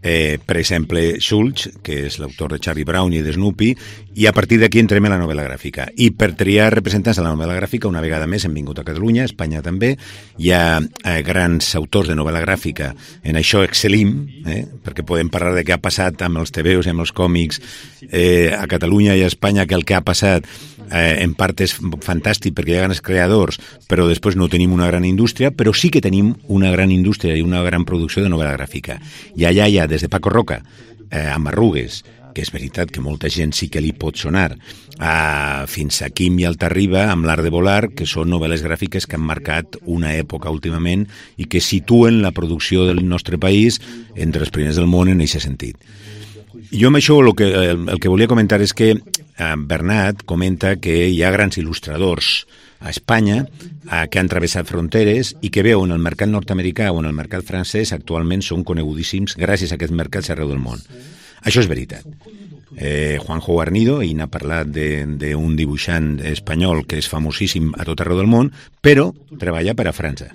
Eh, per exemple, Schultz, que és l'autor de Charlie Brown i de Snoopy, i a partir d'aquí entrem a la novel·la gràfica. I per triar representants de la novel·la gràfica, una vegada més hem vingut a Catalunya, a Espanya també. Hi ha eh, grans autors de novel·la gràfica, en això excel·lim, eh, perquè podem parlar de què ha passat amb els tebeos i amb els còmics eh, a Catalunya i a Espanya, que el que ha passat eh, en part és fantàstic perquè hi ha grans creadors, però després no tenim una gran indústria, però sí que tenim una gran indústria i una gran producció de novel·la gràfica. I allà hi ha des de Paco Roca, eh, amb Arrugues, que és veritat que molta gent sí que li pot sonar, eh, fins a Quim i Altarriba, amb L'art de volar, que són novel·les gràfiques que han marcat una època últimament i que situen la producció del nostre país entre els primers del món en aquest sentit. Jo amb això el que, el, el que volia comentar és que eh, Bernat comenta que hi ha grans il·lustradors a Espanya eh, que han travessat fronteres i que veu en el mercat nord-americà o en el mercat francès actualment són conegudíssims gràcies a aquests mercats arreu del món. Això és veritat. Eh, Juanjo Guarnido, ell n'ha parlat d'un dibuixant espanyol que és famosíssim a tot arreu del món, però treballa per a França.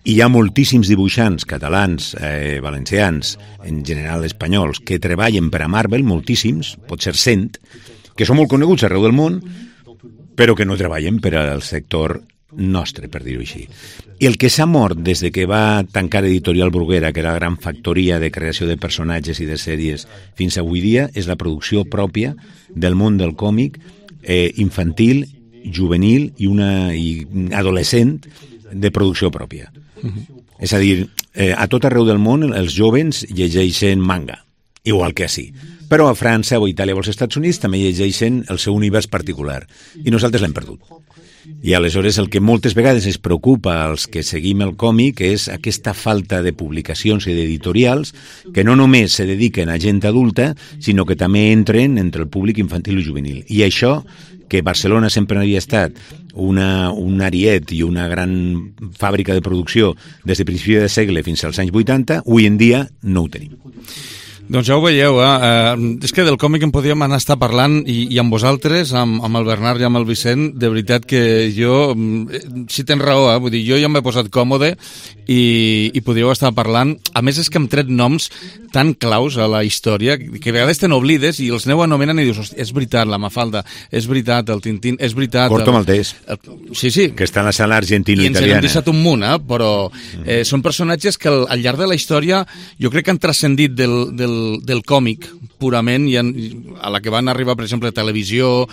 I hi ha moltíssims dibuixants catalans, eh, valencians, en general espanyols, que treballen per a Marvel, moltíssims, pot ser cent, que són molt coneguts arreu del món, però que no treballen per al sector nostre, per dir-ho així. I el que s'ha mort des de que va tancar Editorial Bruguera, que era la gran factoria de creació de personatges i de sèries, fins avui dia, és la producció pròpia del món del còmic eh, infantil, juvenil i una i adolescent de producció pròpia. Uh-huh. És a dir, eh, a tot arreu del món els jovens llegeixen manga, igual que així. Però a França o a Itàlia o als Estats Units també llegeixen el seu univers particular i nosaltres l'hem perdut. I aleshores el que moltes vegades es preocupa als que seguim el còmic és aquesta falta de publicacions i d'editorials que no només se dediquen a gent adulta, sinó que també entren entre el públic infantil i juvenil. I això, que Barcelona sempre havia estat una, un ariet i una gran fàbrica de producció des de principi de segle fins als anys vuitanta, avui en dia no ho tenim. Doncs ja ho veieu, eh? eh? És que del còmic en podríem anar a estar parlant i, i amb vosaltres, amb, amb el Bernat i amb el Vicent, de veritat que jo, si tens raó, eh? Vull dir, jo ja m'he posat còmode i, i podríeu estar parlant. A més és que hem tret noms tan claus a la història que a vegades te n'oblides i els aneu anomenant i dius, és veritat, la Mafalda, és veritat, el Tintín, és veritat... Corto Maltès. El, sí, sí. Que està en la sala argentino-italiana. I ens hem deixat un munt, eh? Però eh, són personatges que al, al llarg de la història jo crec que han transcendit del, del del còmic purament i en, a la que van arribar, per exemple, televisió,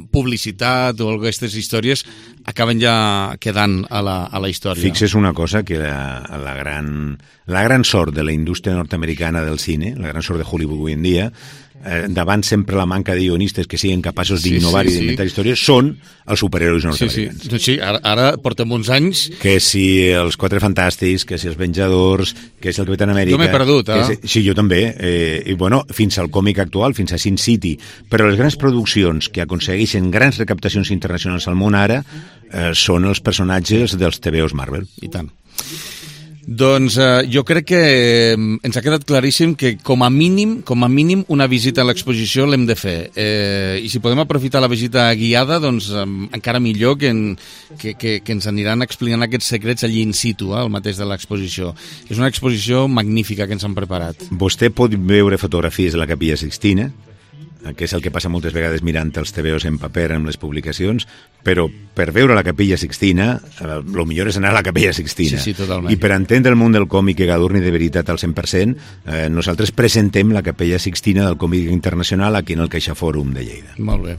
publicitat o aquestes històries acaben ja quedant a la, a la història. Fixes una cosa, que la, la, gran, la gran sort de la indústria nord-americana del cine, la gran sort de Hollywood avui en dia, eh, davant sempre la manca de guionistes que siguin capaços d'innovar sí, sí, i d'inventar sí. històries, són els superherois nord-americans. Sí, sí. sí ara, ara portem uns anys... Que si els Quatre Fantàstics, que si els Venjadors, que si el Capitán Amèrica... Jo m'he perdut, eh? Si, sí, jo també. Eh, I bueno, fins al còmic actual, fins a Sin City. Però les grans produccions que aconsegueixen grans recaptacions internacionals al món ara eh, són els personatges dels tebeos Marvel. I tant. Doncs eh, jo crec que ens ha quedat claríssim que com a mínim com a mínim una visita a l'exposició l'hem de fer. Eh, I si podem aprofitar la visita guiada, doncs eh, encara millor que, en, que, que, que ens aniran explicant aquests secrets allí in situ, eh, al mateix de l'exposició. És una exposició magnífica que ens han preparat. Vostè pot veure fotografies de la Capella Sixtina, que és el que passa moltes vegades mirant els tebeos en paper amb les publicacions, però per veure la Capella Sixtina, el eh, millor és anar a la Capella Sixtina. Sí, sí, totalment. I per entendre el món del còmic que adorni de veritat al cent per cent, eh, nosaltres presentem la Capella Sixtina del còmic internacional aquí en el CaixaForum de Lleida. Molt bé.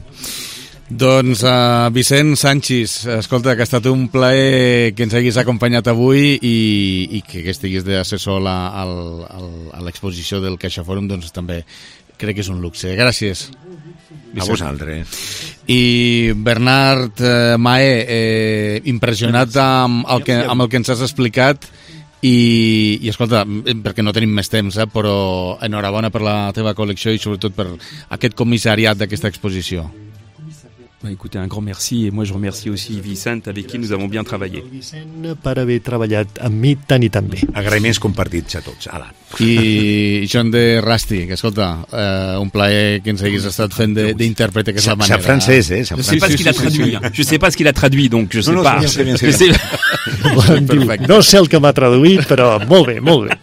Doncs uh, Vicent Sanchis, escolta, que ha estat un plaer que ens haguis acompanyat avui i, i que estiguis d'assessor a, a l'exposició del CaixaForum, doncs també crec que és un luxe. Gràcies. A vosaltres. I Bernard eh, Mahé, eh, impressionat amb el, que, amb el que ens has explicat i, i escolta, perquè no tenim més temps, eh, però enhorabona per la teva col·lecció i sobretot per aquest comissariat d'aquesta exposició. Bah, écoutez, un grand merci et moi je remercie aussi Vicent avec qui nous avons bien travaillé. Vicent per haver treballat amb mi tant i tan bé. Agraïments compartits a tots. Ala. I John de Rusty, que escolta, eh, un plaer que ens haguis estat fent d'intèrpret d'aquesta manera. Sap francès, eh? Je sais pas ce qu'il a traduit. Je sais pas ce qu'il a traduit, donc je sais no, no, pas. No, sé bien, sé bien. No sé el que m'ha traduït, però molt bé, molt bé.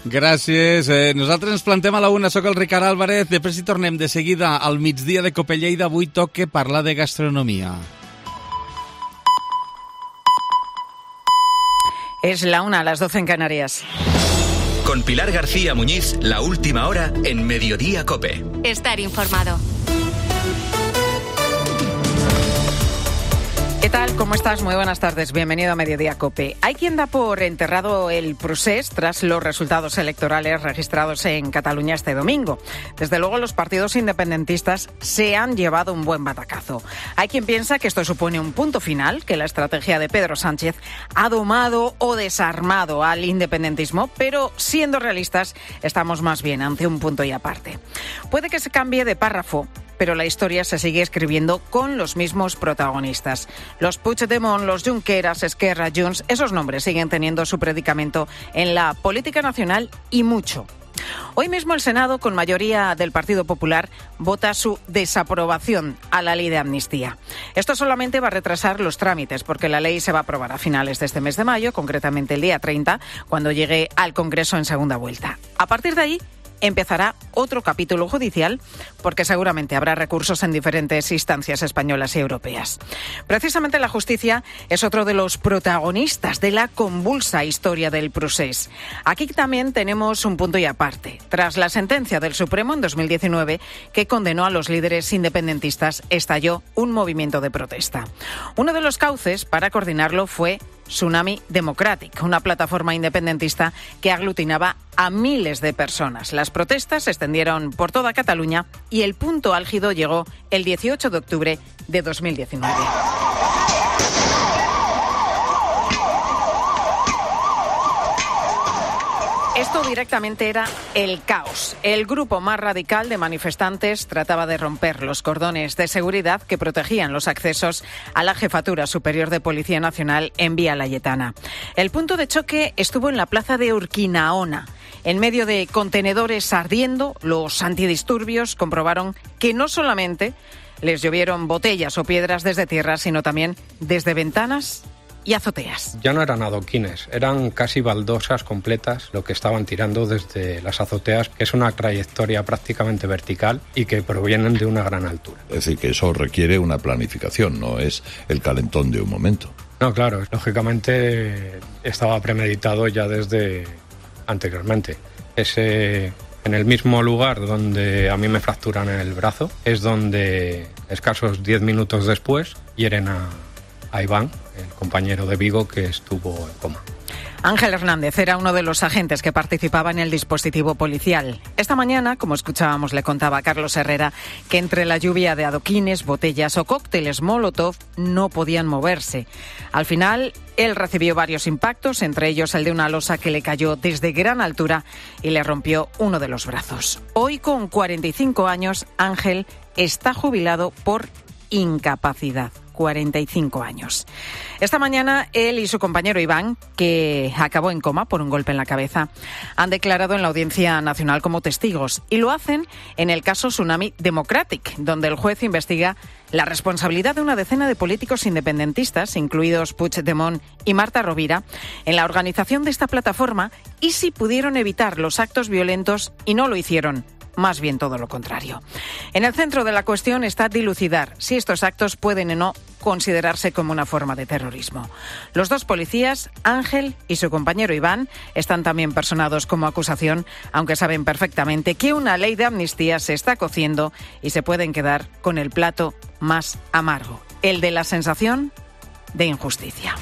Gràcies. Eh, nosaltres ens plantem a la una. Soc el Ricard Álvarez. Després hi tornem de seguida al migdia de Copelleida. Avui toca parlar de gastronomia. Es la una, a las doce en Canarias. Con Pilar García Muñiz, la última hora en Mediodía Cope. Estar informado. ¿Qué tal? ¿Cómo estás? Muy buenas tardes. Bienvenido a Mediodía Cope. Hay quien da por enterrado el procés tras los resultados electorales registrados en Cataluña este domingo. Desde luego, los partidos independentistas se han llevado un buen batacazo. Hay quien piensa que esto supone un punto final, que la estrategia de Pedro Sánchez ha domado o desarmado al independentismo, pero siendo realistas, estamos más bien ante un punto y aparte. Puede que se cambie de párrafo, pero la historia se sigue escribiendo con los mismos protagonistas. Los Puigdemont, los Junqueras, Esquerra, Junts, esos nombres siguen teniendo su predicamento en la política nacional y mucho. Hoy mismo el Senado, con mayoría del Partido Popular, vota su desaprobación a la ley de amnistía. Esto solamente va a retrasar los trámites, porque la ley se va a aprobar a finales de este mes de mayo, concretamente el día treinta, cuando llegue al Congreso en segunda vuelta. A partir de ahí, empezará otro capítulo judicial, porque seguramente habrá recursos en diferentes instancias españolas y europeas. Precisamente la justicia es otro de los protagonistas de la convulsa historia del procés. Aquí también tenemos un punto y aparte. Tras la sentencia del Supremo en dos mil diecinueve, que condenó a los líderes independentistas, estalló un movimiento de protesta. Uno de los cauces para coordinarlo fue Tsunami Democratic, una plataforma independentista que aglutinaba a miles de personas. Las protestas se extendieron por toda Cataluña y el punto álgido llegó el dieciocho de octubre de dos mil diecinueve. Esto directamente era el caos. El grupo más radical de manifestantes trataba de romper los cordones de seguridad que protegían los accesos a la Jefatura Superior de Policía Nacional en Vía Layetana. El punto de choque estuvo en la plaza de Urquinaona. En medio de contenedores ardiendo, los antidisturbios comprobaron que no solamente les llovieron botellas o piedras desde tierra, sino también desde ventanas y azoteas. Ya no eran adoquines, eran casi baldosas completas lo que estaban tirando desde las azoteas, que es una trayectoria prácticamente vertical y que provienen de una gran altura. Es decir, que eso requiere una planificación, no es el calentón de un momento. No, claro, lógicamente estaba premeditado ya desde anteriormente. Ese, en el mismo lugar donde a mí me fracturan el brazo, es donde escasos diez minutos después hieren a, a Iván, el compañero de Vigo que estuvo en coma. Ángel Hernández era uno de los agentes que participaba en el dispositivo policial. Esta mañana, como escuchábamos, le contaba a Carlos Herrera que entre la lluvia de adoquines, botellas o cócteles Molotov no podían moverse. Al final, él recibió varios impactos, entre ellos el de una losa que le cayó desde gran altura y le rompió uno de los brazos. Hoy, con cuarenta y cinco años, Ángel está jubilado por incapacidad. cuarenta y cinco años. Esta mañana, él y su compañero Iván, que acabó en coma por un golpe en la cabeza, han declarado en la Audiencia Nacional como testigos y lo hacen en el caso Tsunami Democratic, donde el juez investiga la responsabilidad de una decena de políticos independentistas, incluidos Puigdemont y Marta Rovira, en la organización de esta plataforma y si pudieron evitar los actos violentos y no lo hicieron. Más bien todo lo contrario. En el centro de la cuestión está dilucidar si estos actos pueden o no considerarse como una forma de terrorismo. Los dos policías, Ángel y su compañero Iván, están también personados como acusación, aunque saben perfectamente que una ley de amnistía se está cociendo y se pueden quedar con el plato más amargo, el de la sensación de injusticia.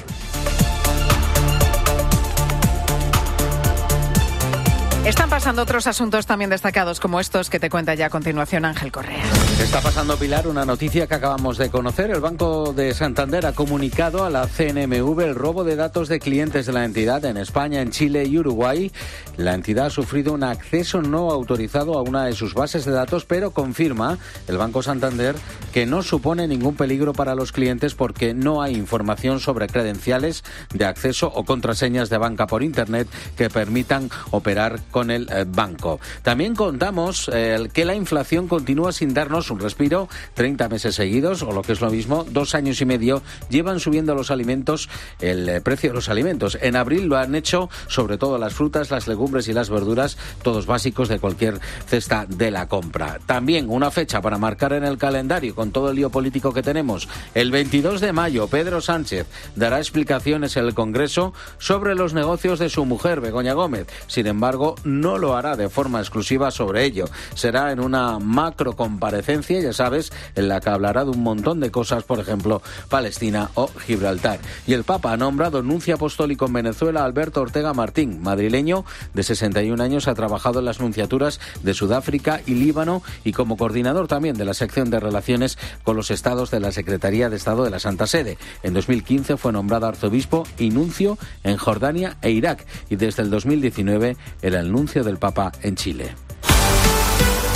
Están pasando otros asuntos también destacados como estos que te cuenta ya a continuación Ángel Correa. Está pasando, Pilar, una noticia que acabamos de conocer. El Banco de Santander ha comunicado a la C N M V el robo de datos de clientes de la entidad en España, en Chile y Uruguay. La entidad ha sufrido un acceso no autorizado a una de sus bases de datos, pero confirma el Banco Santander que no supone ningún peligro para los clientes porque no hay información sobre credenciales de acceso o contraseñas de banca por Internet que permitan operar con el eh, banco. También contamos eh, que la inflación continúa sin darnos un respiro. treinta meses seguidos, o lo que es lo mismo, dos años y medio, llevan subiendo los alimentos, el eh, precio de los alimentos. En abril lo han hecho sobre todo las frutas, las legumbres y las verduras, todos básicos de cualquier cesta de la compra. También una fecha para marcar en el calendario con todo el lío político que tenemos. El veintidós de mayo, Pedro Sánchez dará explicaciones en el Congreso sobre los negocios de su mujer, Begoña Gómez. Sin embargo, no lo hará de forma exclusiva sobre ello. Será en una macro comparecencia, ya sabes, en la que hablará de un montón de cosas, por ejemplo, Palestina o Gibraltar. Y el Papa ha nombrado nuncio apostólico en Venezuela a Alberto Ortega Martín, madrileño de sesenta y un años, ha trabajado en las nunciaturas de Sudáfrica y Líbano y como coordinador también de la sección de relaciones con los estados de la Secretaría de Estado de la Santa Sede. En dos mil quince fue nombrado arzobispo y nuncio en Jordania e Irak y desde el dos mil diecinueve era el nuncio del Papa en Chile.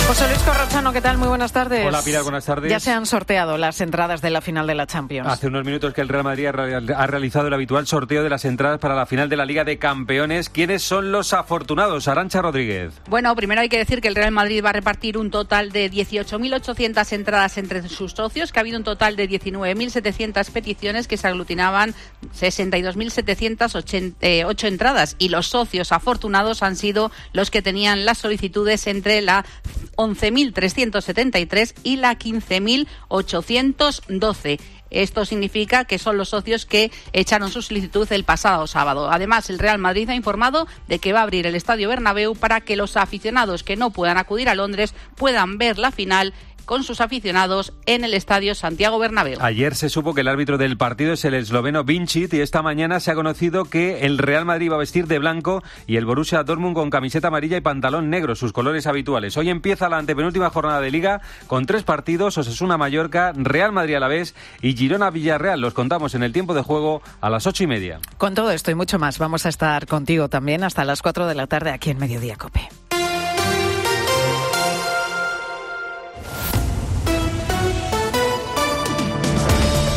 José Luis Corrochano, ¿qué tal? Muy buenas tardes. Hola, Pilar, buenas tardes. Ya se han sorteado las entradas de la final de la Champions. Hace unos minutos que el Real Madrid ha realizado el habitual sorteo de las entradas para la final de la Liga de Campeones. ¿Quiénes son los afortunados? Arantxa Rodríguez. Bueno, primero hay que decir que el Real Madrid va a repartir un total de dieciocho mil ochocientas entradas entre sus socios, que ha habido un total de diecinueve mil setecientas peticiones que se aglutinaban sesenta y dos mil setecientos ocho entradas y los socios afortunados han sido los que tenían las solicitudes entre la once mil trescientos setenta y tres y la quince mil ochocientos doce. Esto significa que son los socios que echaron su solicitud el pasado sábado. Además, el Real Madrid ha informado de que va a abrir el Estadio Bernabéu para que los aficionados que no puedan acudir a Londres puedan ver la final con sus aficionados en el Estadio Santiago Bernabéu. Ayer se supo que el árbitro del partido es el esloveno Vincic y esta mañana se ha conocido que el Real Madrid va a vestir de blanco y el Borussia Dortmund con camiseta amarilla y pantalón negro, sus colores habituales. Hoy empieza la antepenúltima jornada de Liga con tres partidos: Osasuna-Mallorca, Real Madrid-Alavés y Girona-Villarreal. Los contamos en el tiempo de juego a las ocho y media. Con todo esto y mucho más vamos a estar contigo también hasta las cuatro de la tarde aquí en Mediodía COPE.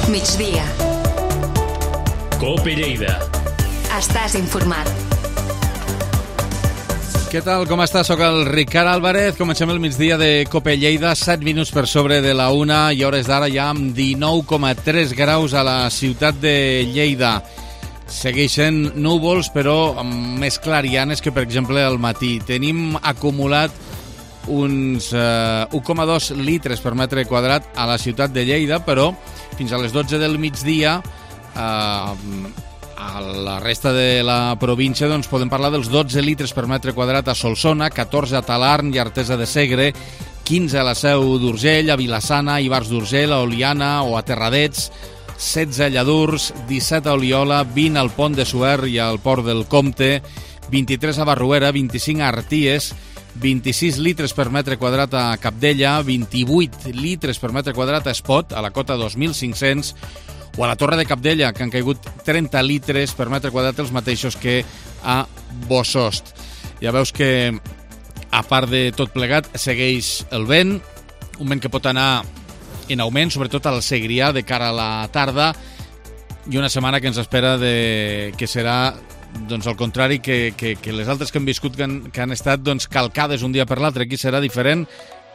Migdia. COPE Lleida. Estàs informat. Què tal, com estàs? Soc el Ricard Álvarez. Comencem el migdia de COPE Lleida, set minuts per sobre de la una i hores d'ara ja amb dinou coma tres graus a la ciutat de Lleida. Segueixen núvols, però amb més clarianes que, per exemple, al matí. Tenim acumulat uns eh, u coma dos litres per metre quadrat a la ciutat de Lleida, però fins a les dotze del migdia eh, a la resta de la província doncs, podem parlar dels dotze litres per metre quadrat a Solsona, catorze a Talarn i Artesa de Segre, quinze a la Seu d'Urgell, a Vilassana, Ivars d'Urgell, a Oliana o a Terradets, setze a Lladurs, disset a Oliola, vint al Pont de Suert i al Port del Comte, vint-i-tres a Barruera, vint-i-cinc a Arties, vint-i-sis litres per metre quadrat a Capdella, vint-i-vuit litres per metre quadrat a Espot, a la cota dos mil cinc-cents, o a la Torre de Capdella, que han caigut trenta litres per metre quadrat, els mateixos que a Bosost. Ja veus que, a part de tot plegat, segueix el vent, un vent que pot anar en augment, sobretot al Segrià, de cara a la tarda, i una setmana que ens espera de, que serà doncs al contrari que, que, que les altres que hem viscut que han, que han estat doncs, calcades un dia per l'altre. Aquí serà diferent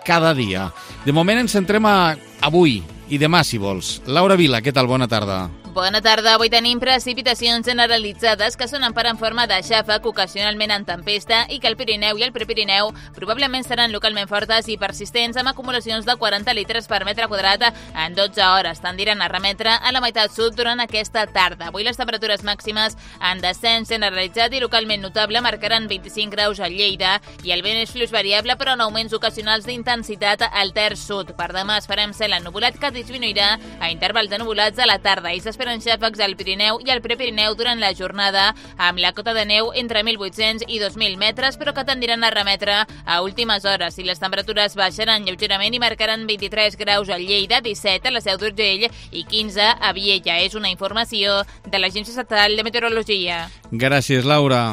cada dia. De moment ens centrem a avui i demà, si vols. Laura Vila, què tal? Bona tarda. Bona tarda. Avui tenim precipitacions generalitzades que sonen per en forma de xàfec, ocasionalment en tempesta, i que el Pirineu i el Prepirineu probablement seran localment fortes i persistents, amb acumulacions de quaranta litres per metre quadrat en dotze hores. Tendiran a remetre a la meitat sud durant aquesta tarda. Avui les temperatures màximes en descens generalitzat i localment notable marcaran vint-i-cinc graus a Lleida i el vent és fluix variable però en augments ocasionals d'intensitat al terç sud. Per demà esperem cel ennuvolat que disminuirà a intervals de nuvolats a la tarda i s'espera s'esperen xàfecs al Pirineu i al Prepirineu durant la jornada, amb la cota de neu entre mil vuit-cents i dos mil metres, però que tendiran a remetre a últimes hores i les temperatures baixaran lleugerament i marcaran vint-i-tres graus a Lleida, disset a la Seu d'Urgell i quinze a Viella. És una informació de l'Agència Estatal de Meteorologia. Gràcies, Laura.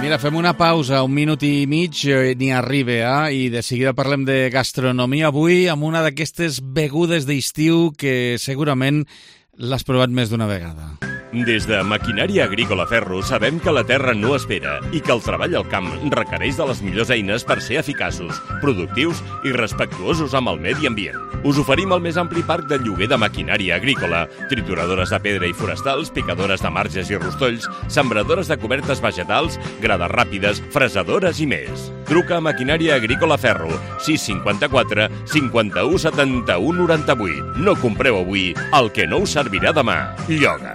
Mira, fem una pausa, un minut i mig, eh, ni arriba, eh? I de seguida parlem de gastronomia avui amb una d'aquestes begudes d'estiu que segurament l'has provat més d'una vegada. Des de Maquinària Agrícola Ferro sabem que la terra no espera i que el treball al camp requereix de les millors eines per ser eficaços, productius i respectuosos amb el medi ambient. Us oferim el més ampli parc de lloguer de maquinària agrícola, trituradores de pedra i forestals, picadores de marges i rostolls, sembradores de cobertes vegetals, grades ràpides, fresadores i més. Truca a Maquinària Agrícola Ferro, sis cinquanta-quatre cinquanta-u setanta-u noranta-vuit. No compreu avui el que no us servirà demà. Lloga.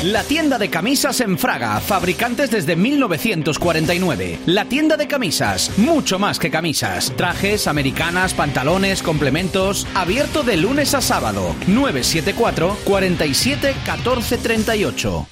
La tienda de camisas en Fraga, fabricantes desde mil novecientos cuarenta y nueve. La tienda de camisas, mucho más que camisas. Trajes, americanas, pantalones, complementos. Abierto de lunes a sábado. nueve siete cuatro, cuatro siete, uno cuatro tres ocho.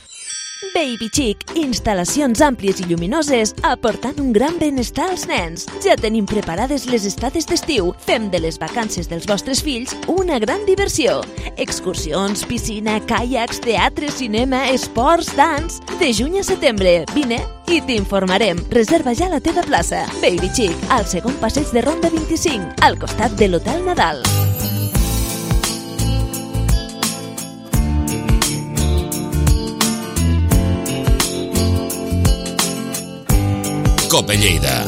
Baby Chic, instal·lacions àmplies i lluminoses aportant un gran benestar als nens. Ja tenim preparades les estades d'estiu. Fem de les vacances dels vostres fills una gran diversió. Excursions, piscina, caiacs, teatre, cinema, esports, dans... De juny a setembre, vine i t'informarem. Reserva ja la teva plaça. Baby Chic, al segon passeig de Ronda vint-i-cinc, al costat de l'Hotel Nadal. Cope Lleida.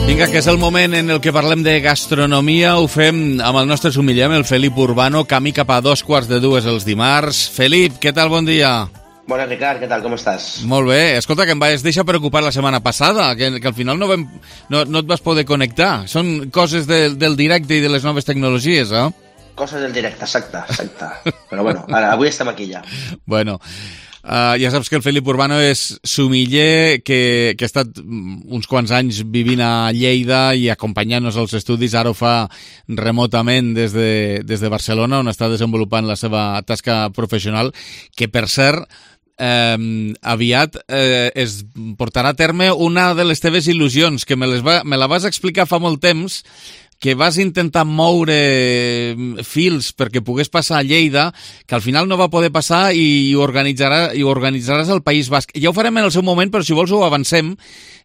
Vinga, que és el moment en el que parlem de gastronomia. Ho fem amb el nostre sumillem, el Felip Urbano, camí cap a dos quarts de dues els dimarts. Felip, què tal? Bon dia. Bona, Ricard, què tal? Com estàs? Molt bé. Escolta, que em vas deixar preocupar la setmana passada, que, que al final no, vam, no, no et vas poder connectar. Són coses de, del directe i de les noves tecnologies, eh? Coses del directe, exacte, exacte. Però bueno, ara, avui estem aquí ja. Bueno... Uh, ja saps que el Felip Urbano és sumiller que, que ha estat uns quants anys vivint a Lleida i acompanyant-nos als estudis. Ara ho fa remotament des de, des de Barcelona, on està desenvolupant la seva tasca professional, que per cert eh, aviat eh, es portarà a terme una de les teves il·lusions, que me, les va, me la vas explicar fa molt temps, que vas intentar moure fils perquè pogués passar a Lleida, que al final no va poder passar i ho, organitzarà, i ho organitzaràs al País Basc. Ja ho farem en el seu moment, però si vols ho avancem.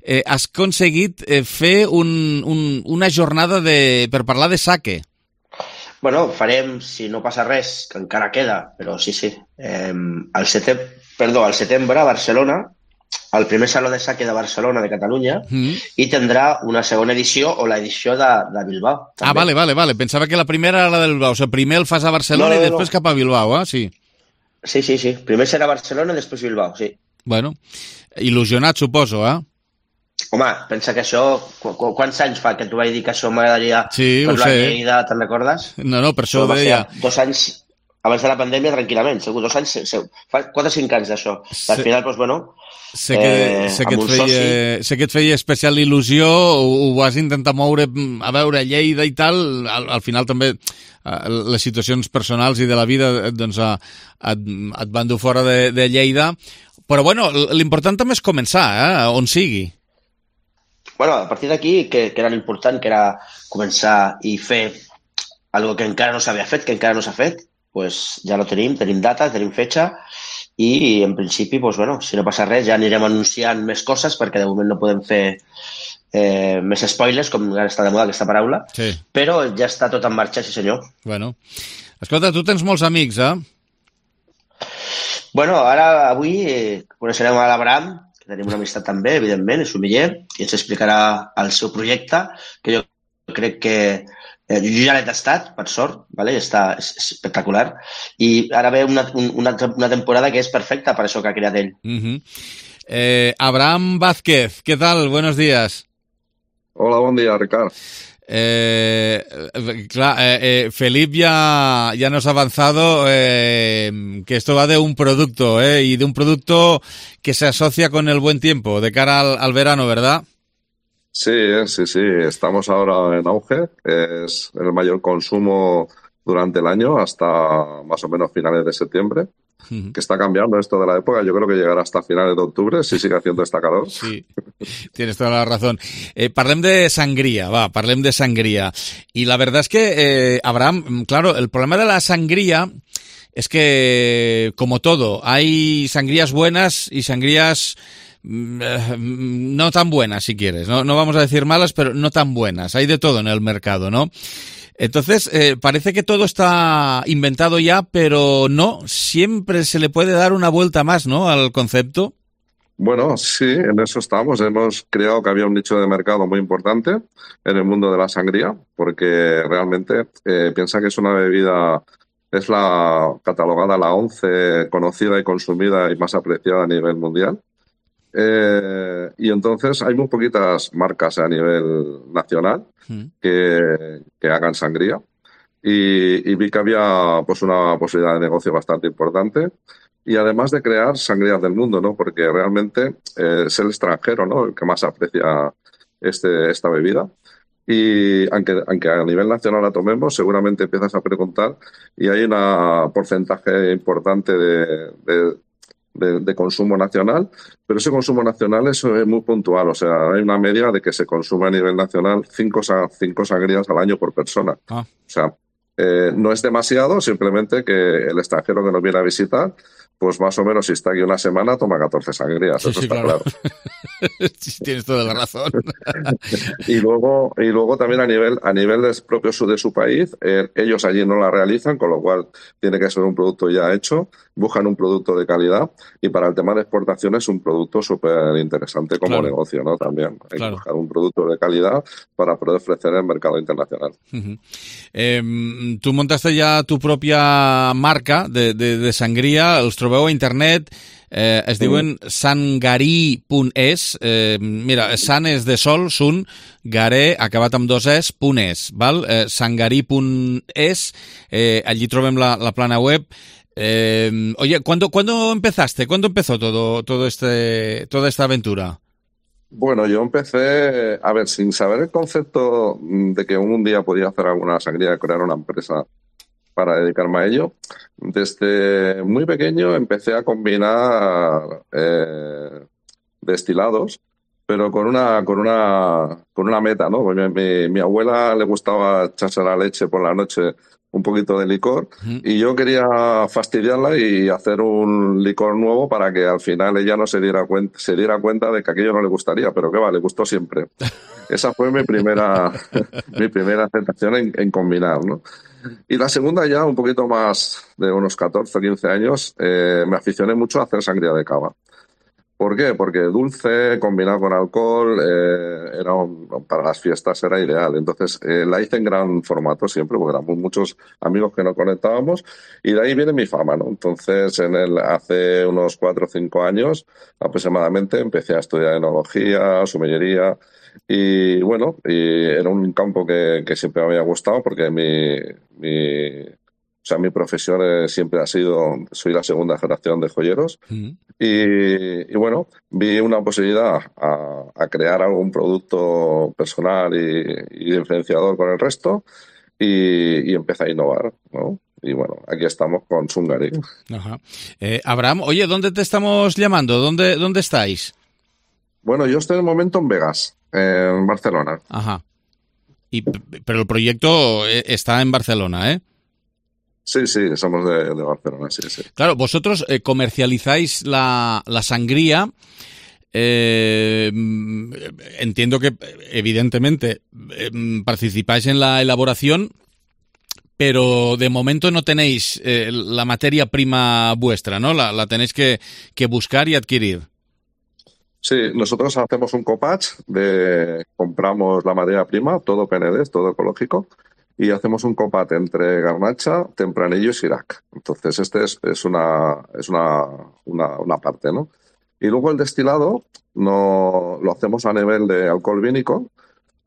Eh, has aconseguit eh, fer un, un, una jornada de, per parlar de sake. Bueno, farem, si no passa res, que encara queda, però sí, sí. Eh, al, setembre, perdó, al setembre a Barcelona, al primer Saló de Sake de Barcelona, de Catalunya, mm. i tindrà una segona edició o l'edició de, de Bilbao. També. Ah, vale, vale, vale. Pensava que la primera era la de Bilbao. O sigui, primer el fas a Barcelona no, no, i després no. cap a Bilbao, eh? Sí. Sí, sí, sí. Primer serà Barcelona i després Bilbao, sí. Bueno, il·lusionat, suposo, eh? Home, pensa que això... Qu qu quants anys fa que t'ho vaig dir que això m'agradaria sí, per la Lleida, te'n recordes? No, no, per això ho deia. Dos anys... Abans de la pandèmia, tranquil·lament, segur, dos anys, segur. Fa quatre o cinc anys d'això. Sí. Al final, doncs, bueno... Sé que, eh, sé, que et feia, sé que et feia especial il·lusió, ho, ho vas intentar moure a veure Lleida i tal, al, al final també les situacions personals i de la vida doncs, et, et van dur fora de, de Lleida, però bueno, l'important també és començar, eh, on sigui. Bueno, a partir d'aquí, que, que era l'important, que era començar i fer algo que encara no s'havia fet, que encara no s'ha fet, pues ja lo tenim, tenim data, tenim fetxa, i en principi, pues, bueno, si no passa res, ja anirem anunciant més coses, perquè de moment no podem fer eh, més spoilers, com ara està de moda aquesta paraula, sí. Però ja està tot en marxa, sí senyor. Bueno, escolta, tu tens molts amics, eh? Bueno, ara, avui, eh, coneixerem a l'Abraham, que tenim una amistat també, evidentment, és sumiller, i ens explicarà el seu projecte, que jo crec que Eh, jo ja l'he tastat, per sort, vale? Està espectacular, i ara ve una, una, una temporada que és perfecta per això que ha creat ell. Uh-huh. eh, Abraham Vázquez, ¿qué tal? Buenos días. Hola, buen día, Ricard. Eh, clar, eh, eh, Felip ya, ya nos ha avanzado eh, que esto va de un producto, eh, y de un producto que se asocia con el buen tiempo, de cara al, al verano, ¿verdad? Sí, sí, sí, estamos ahora en auge, es el mayor consumo durante el año hasta más o menos finales de septiembre, uh-huh. que está cambiando esto de la época, yo creo que llegará hasta finales de octubre si sigue haciendo esta calor. Sí, tienes toda la razón. Eh, parlem de sangría, va, parlem de sangría. Y la verdad es que, eh, Abraham, claro, el problema de la sangría es que, como todo, hay sangrías buenas y sangrías no tan buenas, si quieres. No, no vamos a decir malas, pero no tan buenas. Hay de todo en el mercado, ¿no? Entonces, eh, parece que todo está inventado ya, pero no, siempre se le puede dar una vuelta más, ¿no?, al concepto. Bueno, sí, en eso estamos. Hemos creado que había un nicho de mercado muy importante en el mundo de la sangría, porque realmente eh, piensa que es una bebida, es la catalogada la once conocida y consumida y más apreciada a nivel mundial. Eh, y entonces hay muy poquitas marcas a nivel nacional que, que hagan sangría y, y vi que había pues una posibilidad de negocio bastante importante y además de crear sangrías del mundo, ¿no? Porque realmente eh, es el extranjero, ¿no?, el que más aprecia este, esta bebida. Y aunque, aunque a nivel nacional la tomemos, seguramente empiezas a preguntar y hay un porcentaje importante de, de De, de consumo nacional, pero ese consumo nacional es, es muy puntual, o sea, hay una media de que se consume a nivel nacional cinco, cinco sangrías al año por persona. Ah. O sea, eh, no es demasiado, simplemente que el extranjero que nos viene a visitar, pues más o menos si está aquí una semana, toma catorce sangrías, sí, eso sí, está claro. claro. Sí, tienes toda la razón. y luego y luego también a nivel a nivel de propio de su país, eh, ellos allí no la realizan, con lo cual tiene que ser un producto ya hecho, buscan un producto de calidad y para el tema de exportación es un producto súper interesante como claro. negocio, ¿no? También hay claro. que buscar un producto de calidad para poder ofrecer en el mercado internacional. Uh-huh. Eh, tú montaste ya tu propia marca de, de, de sangría, els trobeu a internet, eh, es diuen sangarí punt es, eh, mira, san és de sol, sun, garé, acabat amb dos es, punt es, val? Eh, sangarí punt es, eh, allí trobem la, la plana web. Eh, oye, ¿cuándo, ¿cuándo empezaste? ¿Cuándo empezó todo, todo este, toda esta aventura? Bueno, yo empecé, a ver, sin saber el concepto de que un día podía hacer alguna sangría, crear una empresa para dedicarme a ello. Desde muy pequeño empecé a combinar eh, destilados, pero con una con una con una meta, ¿no? Porque mi, mi abuela le gustaba echarse la leche por la noche un poquito de licor uh-huh. y yo quería fastidiarla y hacer un licor nuevo para que al final ella no se diera cuenta se diera cuenta de que aquello no le gustaría, pero que va, le gustó siempre. Esa fue mi primera mi primera aceptación en, en combinar, ¿no? Y la segunda ya un poquito más de unos catorce o quince años eh, me aficioné mucho a hacer sangría de cava. ¿Por qué? Porque dulce, combinado con alcohol, eh, era un, para las fiestas era ideal. Entonces eh, la hice en gran formato siempre, porque éramos muchos amigos que nos conectábamos, y de ahí viene mi fama, ¿no? Entonces, en el, hace unos cuatro o cinco años aproximadamente empecé a estudiar enología, sommelería, y bueno, y era un campo que, que siempre me había gustado, porque mi... mi O sea, mi profesión eh, siempre ha sido, soy la segunda generación de joyeros uh-huh. y, y bueno, vi una posibilidad a, a crear algún producto personal y, y diferenciador con el resto y, y empecé a innovar, ¿no? Y bueno, aquí estamos con Sungari. Ajá. Eh, Abraham, oye, ¿dónde te estamos llamando? ¿Dónde, dónde estáis? Bueno, yo estoy en el momento en Vegas, en Barcelona. Ajá. Y, pero el proyecto está en Barcelona, ¿eh? Sí, sí, somos de, de Barcelona, sí, sí. Claro, vosotros eh, comercializáis la, la sangría. Eh, entiendo que, evidentemente, eh, participáis en la elaboración, pero de momento no tenéis eh, la materia prima vuestra, ¿no? La, la tenéis que, que buscar y adquirir. Sí, nosotros hacemos un copatch, de, compramos la materia prima, todo P N D, todo ecológico, y hacemos un copat entre garnacha, tempranillo y sirac. Entonces, este es, es, una, es una, una, una parte, ¿no? Y luego el destilado no, lo hacemos a nivel de alcohol vínico.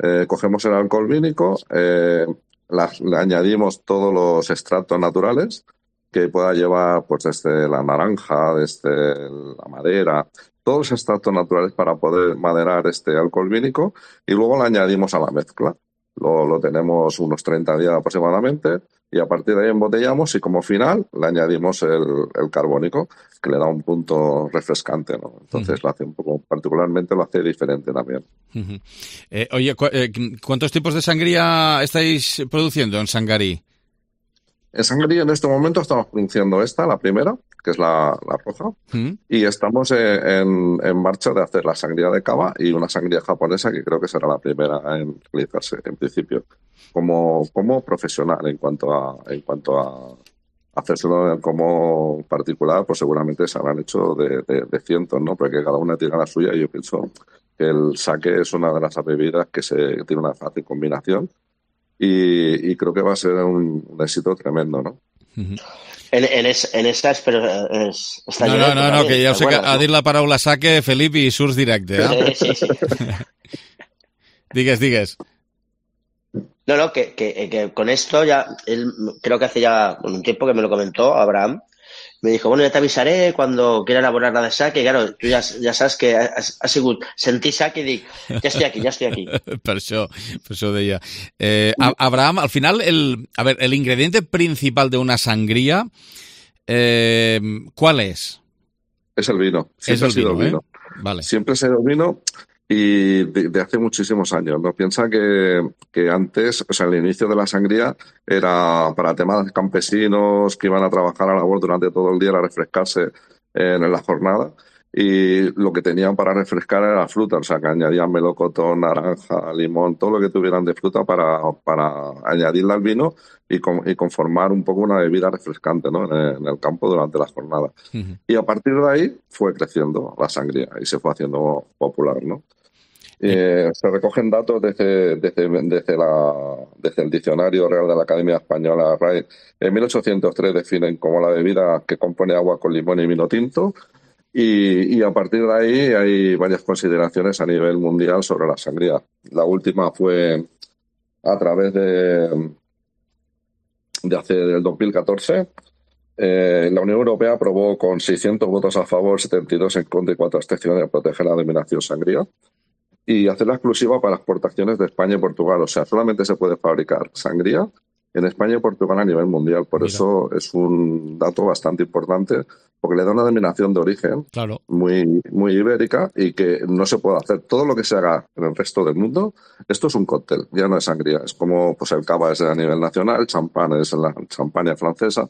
Eh, cogemos el alcohol vínico, eh, la, le añadimos todos los extractos naturales que pueda llevar, pues, desde la naranja, desde la madera, todos los extractos naturales para poder maderar este alcohol vínico y luego lo añadimos a la mezcla. Lo, lo tenemos unos treinta días aproximadamente y a partir de ahí embotellamos y como final le añadimos el, el carbónico, que le da un punto refrescante, ¿no? Entonces uh-huh. lo hace un poco, particularmente lo hace diferente también. Uh-huh. Eh, oye, cu- eh, ¿cuántos tipos de sangría estáis produciendo en Sangarí? En Sangarí en este momento estamos produciendo esta, la primera, que es la, la roja, uh-huh. y estamos en, en, en marcha de hacer la sangría de cava y una sangría japonesa que creo que será la primera en realizarse en principio como, como profesional en cuanto a en cuanto a hacérselo como particular, pues seguramente se habrán hecho de, de, de cientos, ¿no? Porque cada una tiene la suya y yo pienso que el sake es una de las bebidas que se tiene una fácil combinación y, y creo que va a ser un, un éxito tremendo, ¿no? Uh-huh. En, en, es, en esa és, però és, està no, no, no, no, que ja ho sé que ha dit la paraula sake, Felip, i surts directe, eh? Sí, sí, sí. digues, digues. No, no, que, que, que con esto ya, él creo que hace ya un tiempo que me lo comentó Abraham, me dijo, bueno, ya te avisaré cuando quiera elaborar la de sake, y claro, tú ya, ya sabes que has, has sigut, sentí sake y dic, ya estoy aquí, ya estoy aquí. per això, per això ho deia. Eh, Abraham, al final, el, a ver, el ingrediente principal de una sangría, eh, ¿cuál es? Es el vino. Siempre es el ha sido vino, el vino. ¿eh? Vale. Siempre ha sido el vino y de, de hace muchísimos años, ¿no? Piensa que, que antes, o sea, el inicio de la sangría era para temas campesinos que iban a trabajar a labor durante todo el día, a refrescarse en, en la jornada. Y lo que tenían para refrescar era la fruta, o sea, que añadían melocotón, naranja, limón, todo lo que tuvieran de fruta para, para añadirla al vino y, con, y conformar un poco una bebida refrescante, ¿no? en, el, en el campo durante la jornada. Uh-huh. Y a partir de ahí fue creciendo la sangría y se fue haciendo popular, ¿no? Eh, se recogen datos desde, desde, desde, la, desde el Diccionario Real de la Academia Española, R A E. En mil ochocientos tres definen como la bebida que compone agua con limón y vino tinto. Y, y a partir de ahí hay varias consideraciones a nivel mundial sobre la sangría. La última fue a través de, de hace del dos mil catorce. Eh, la Unión Europea aprobó con seiscientos votos a favor, setenta y dos en contra y cuatro abstenciones a proteger la denominación sangría y hacerla exclusiva para exportaciones de España y Portugal. O sea, solamente se puede fabricar sangría en España y Portugal a nivel mundial. Por Mira. Eso es un dato bastante importante, porque le da una denominación de origen claro. muy, muy ibérica y que no se puede hacer. Todo lo que se haga en el resto del mundo, esto es un cóctel, ya no es sangría. Es como pues el cava es a nivel nacional, el champán es la champaña francesa,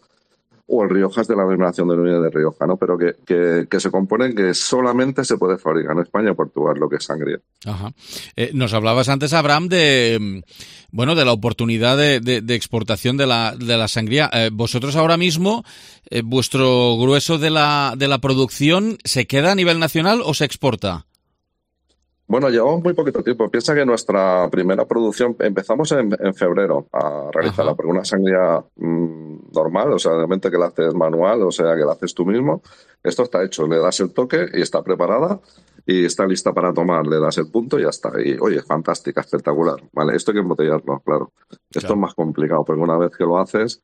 o el Rioja es de la denominación de origen de Rioja, ¿no? Pero que, que, que se componen que solamente se puede fabricar en España y Portugal lo que es sangría. Ajá. Eh, nos hablabas antes, Abraham, de bueno de la oportunidad de, de, de exportación de la, de la sangría. Eh, vosotros ahora mismo, eh, vuestro grueso de la, de la producción, ¿se queda a nivel nacional o se exporta? Bueno, llevamos muy poquito tiempo. Piensa que nuestra primera producción empezamos en, en febrero a realizarla, porque una sangría mmm, normal, o sea, realmente que la haces manual, o sea, que la haces tú mismo. Esto está hecho, le das el toque y está preparada y está lista para tomar. Le das el punto y ya está. Y, oye, fantástica, espectacular. Vale, esto hay que embotellarlo, claro. Esto claro. es más complicado, porque una vez que lo haces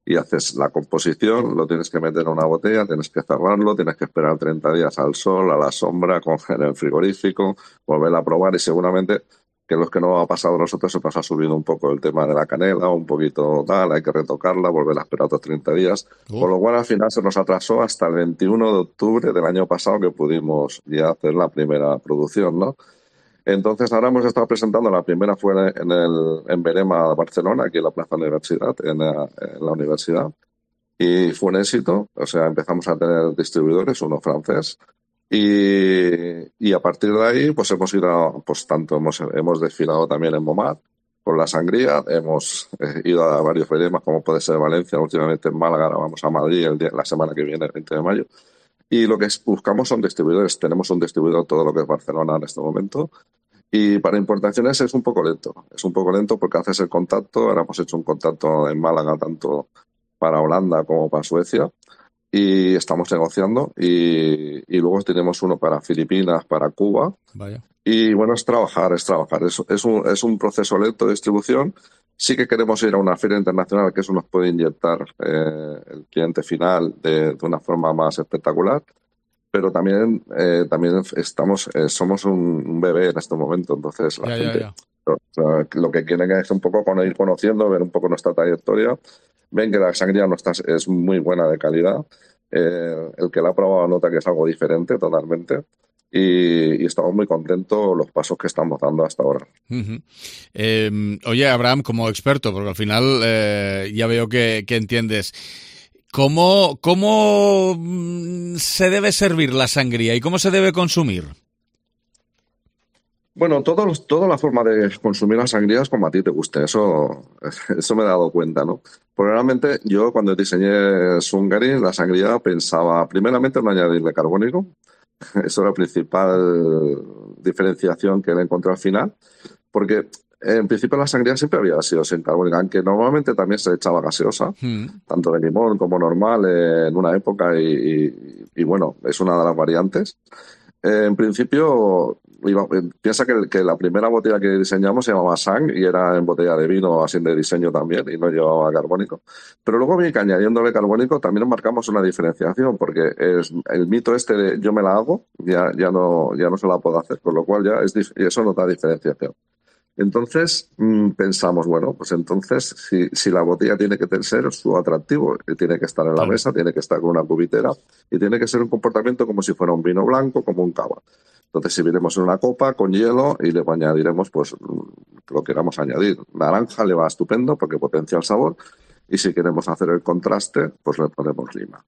y haces la composición, lo tienes que meter en una botella, tienes que cerrarlo, tienes que esperar treinta días al sol, a la sombra, en el frigorífico, volver a probar y seguramente que los que no ha pasado a nosotros se nos ha subido un poco el tema de la canela, un poquito tal, hay que retocarla, volver a esperar otros treinta días, uh. con lo cual al final se nos atrasó hasta el veintiuno de octubre del año pasado que pudimos ya hacer la primera producción, ¿no? Entonces ahora hemos estado presentando, la primera fue en el en Verema, Barcelona, aquí en la Plaza Universidad, en la, en la universidad, y fue un éxito. O sea, empezamos a tener distribuidores, uno francés, y, y a partir de ahí pues hemos ido, a, pues tanto hemos, hemos desfilado también en Momad con la sangría, hemos eh, ido a varios Veremas, como puede ser Valencia, últimamente en Málaga, ahora vamos a Madrid el día, la semana que viene, el veinte de mayo. Y lo que buscamos son distribuidores. Tenemos un distribuidor todo lo que es Barcelona en este momento. Y para importaciones es un poco lento. Es un poco lento porque haces el contacto. Ahora hemos hecho un contacto en Málaga tanto para Holanda como para Suecia. Y estamos negociando. Y, y luego tenemos uno para Filipinas, para Cuba. Vaya. Y bueno, es trabajar, es trabajar. Es, es, un, es un proceso lento de distribución. Sí que queremos ir a una feria internacional, que eso nos puede inyectar eh, el cliente final de, de una forma más espectacular. pero también eh, también estamos eh, somos un, un bebé en este momento, entonces la ya, gente ya, ya. O sea, lo que quieren es un poco con ir conociendo, ver un poco nuestra trayectoria, ven que la sangría nuestra es muy buena de calidad, eh, el que la ha probado nota que es algo diferente totalmente. Y, y estamos muy contentos los pasos que estamos dando hasta ahora. Uh-huh. Eh, oye, Abraham, como experto, porque al final eh, ya veo que, que entiendes, ¿cómo, ¿cómo se debe servir la sangría y cómo se debe consumir? Bueno, todo, toda la forma de consumir la sangría es como a ti te guste, eso, eso me he dado cuenta, ¿no? Probablemente yo cuando diseñé Sungari, la sangría pensaba primeramente en no añadirle carbónico. Eso era la principal diferenciación que le encontré al final, porque en principio la sangría siempre había sido sin carbónica, aunque normalmente también se echaba gaseosa, mm. tanto de limón como normal eh, en una época y, y, y bueno, es una de las variantes. Eh, en principio, iba, piensa que, que la primera botella que diseñamos se llamaba Sang y era en botella de vino, así de diseño también, y no llevaba carbónico. Pero luego vi que añadiéndole carbónico también marcamos una diferenciación, porque es el mito este de yo me la hago, ya, ya, no, ya no se la puedo hacer, con lo cual ya es, y eso no da diferenciación. Entonces mmm, pensamos, bueno, pues entonces si, si la botella tiene que ser su atractivo, tiene que estar en la mesa, tiene que estar con una cubitera y tiene que ser un comportamiento como si fuera un vino blanco, como un cava. Entonces serviremos en una copa con hielo y le añadiremos pues lo que queramos añadir. Naranja le va estupendo porque potencia el sabor y si queremos hacer el contraste, pues le ponemos lima.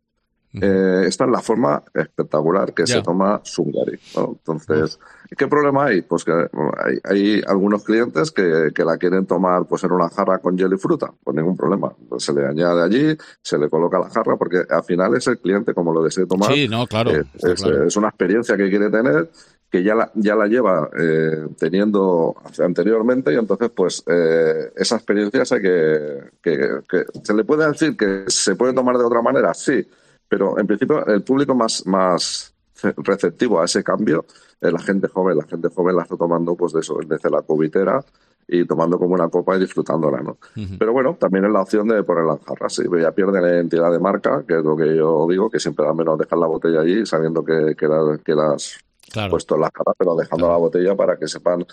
Eh, esta es la forma espectacular que yeah. se toma Sungari, ¿no? Entonces, ¿qué problema hay? Pues que hay, hay algunos clientes que, que la quieren tomar pues en una jarra con hielo y fruta, pues ningún problema. Pues se le añade allí, se le coloca la jarra, porque al final es el cliente como lo desee tomar. Sí, no, claro. Eh, es, claro. es una experiencia que quiere tener, que ya la, ya la lleva eh, teniendo anteriormente y entonces pues eh, esa experiencia sé que, que, que se le puede decir que se puede tomar de otra manera, sí. Pero en principio el público más, más receptivo a ese cambio es la gente joven. La gente joven la está tomando pues de eso, desde la cubitera y tomando como una copa y disfrutándola, ¿no? Uh-huh. Pero bueno, también es la opción de ponerla en jarras. Sí, ya pierde la identidad de marca, que es lo que yo digo, que siempre al menos dejar la botella allí sabiendo que, que, la, que las claro. puesto en la jarra, pero dejando claro. la botella para que sepan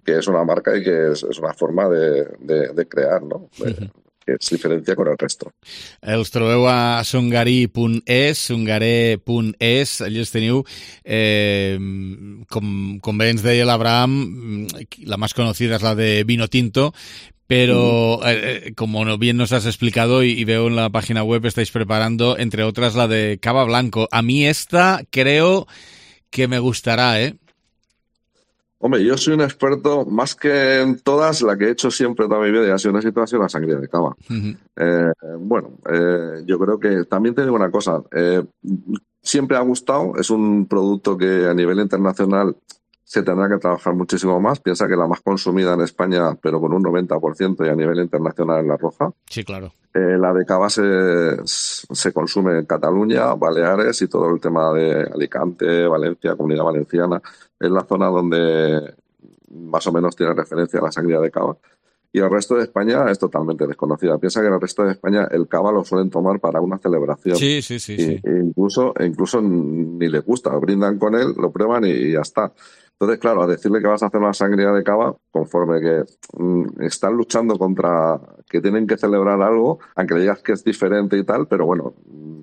que es una marca y que es, es una forma de, de, de crear, ¿no? De, uh-huh. que es diferència con el resto. Els trobeu a sungari punt es, sungare punt es, allà els teniu. Eh, com, com bé ens deia l'Abraham, la más conocida es la de vino tinto, pero eh, como bien nos has explicado y, y veo en la página web estáis preparando, entre otras, la de cava blanco. A mí esta creo que me gustará, ¿eh? Hombre, yo soy un experto, más que en todas, la que he hecho siempre toda mi vida y ha sido una situación, la sangría de cava. Uh-huh. Eh, bueno, eh, yo creo que también te digo una cosa, eh, siempre ha gustado, es un producto que a nivel internacional se tendrá que trabajar muchísimo más. Piensa que la más consumida en España, pero con un noventa por ciento y a nivel internacional, es la roja. Sí, claro. Eh, la de cava se, se consume en Cataluña, Baleares y todo el tema de Alicante, Valencia, Comunidad Valenciana. Es la zona donde más o menos tiene referencia a la sangría de cava. Y el resto de España es totalmente desconocida. Piensa que en el resto de España el cava lo suelen tomar para una celebración. Sí, sí, sí. Y, sí. E incluso, incluso ni les gusta, brindan con él, lo prueban y, y ya está. Entonces, claro, a decirle que vas a hacer una sangría de cava, conforme que mmm, están luchando contra que tienen que celebrar algo, aunque le digas que es diferente y tal, pero bueno, mmm,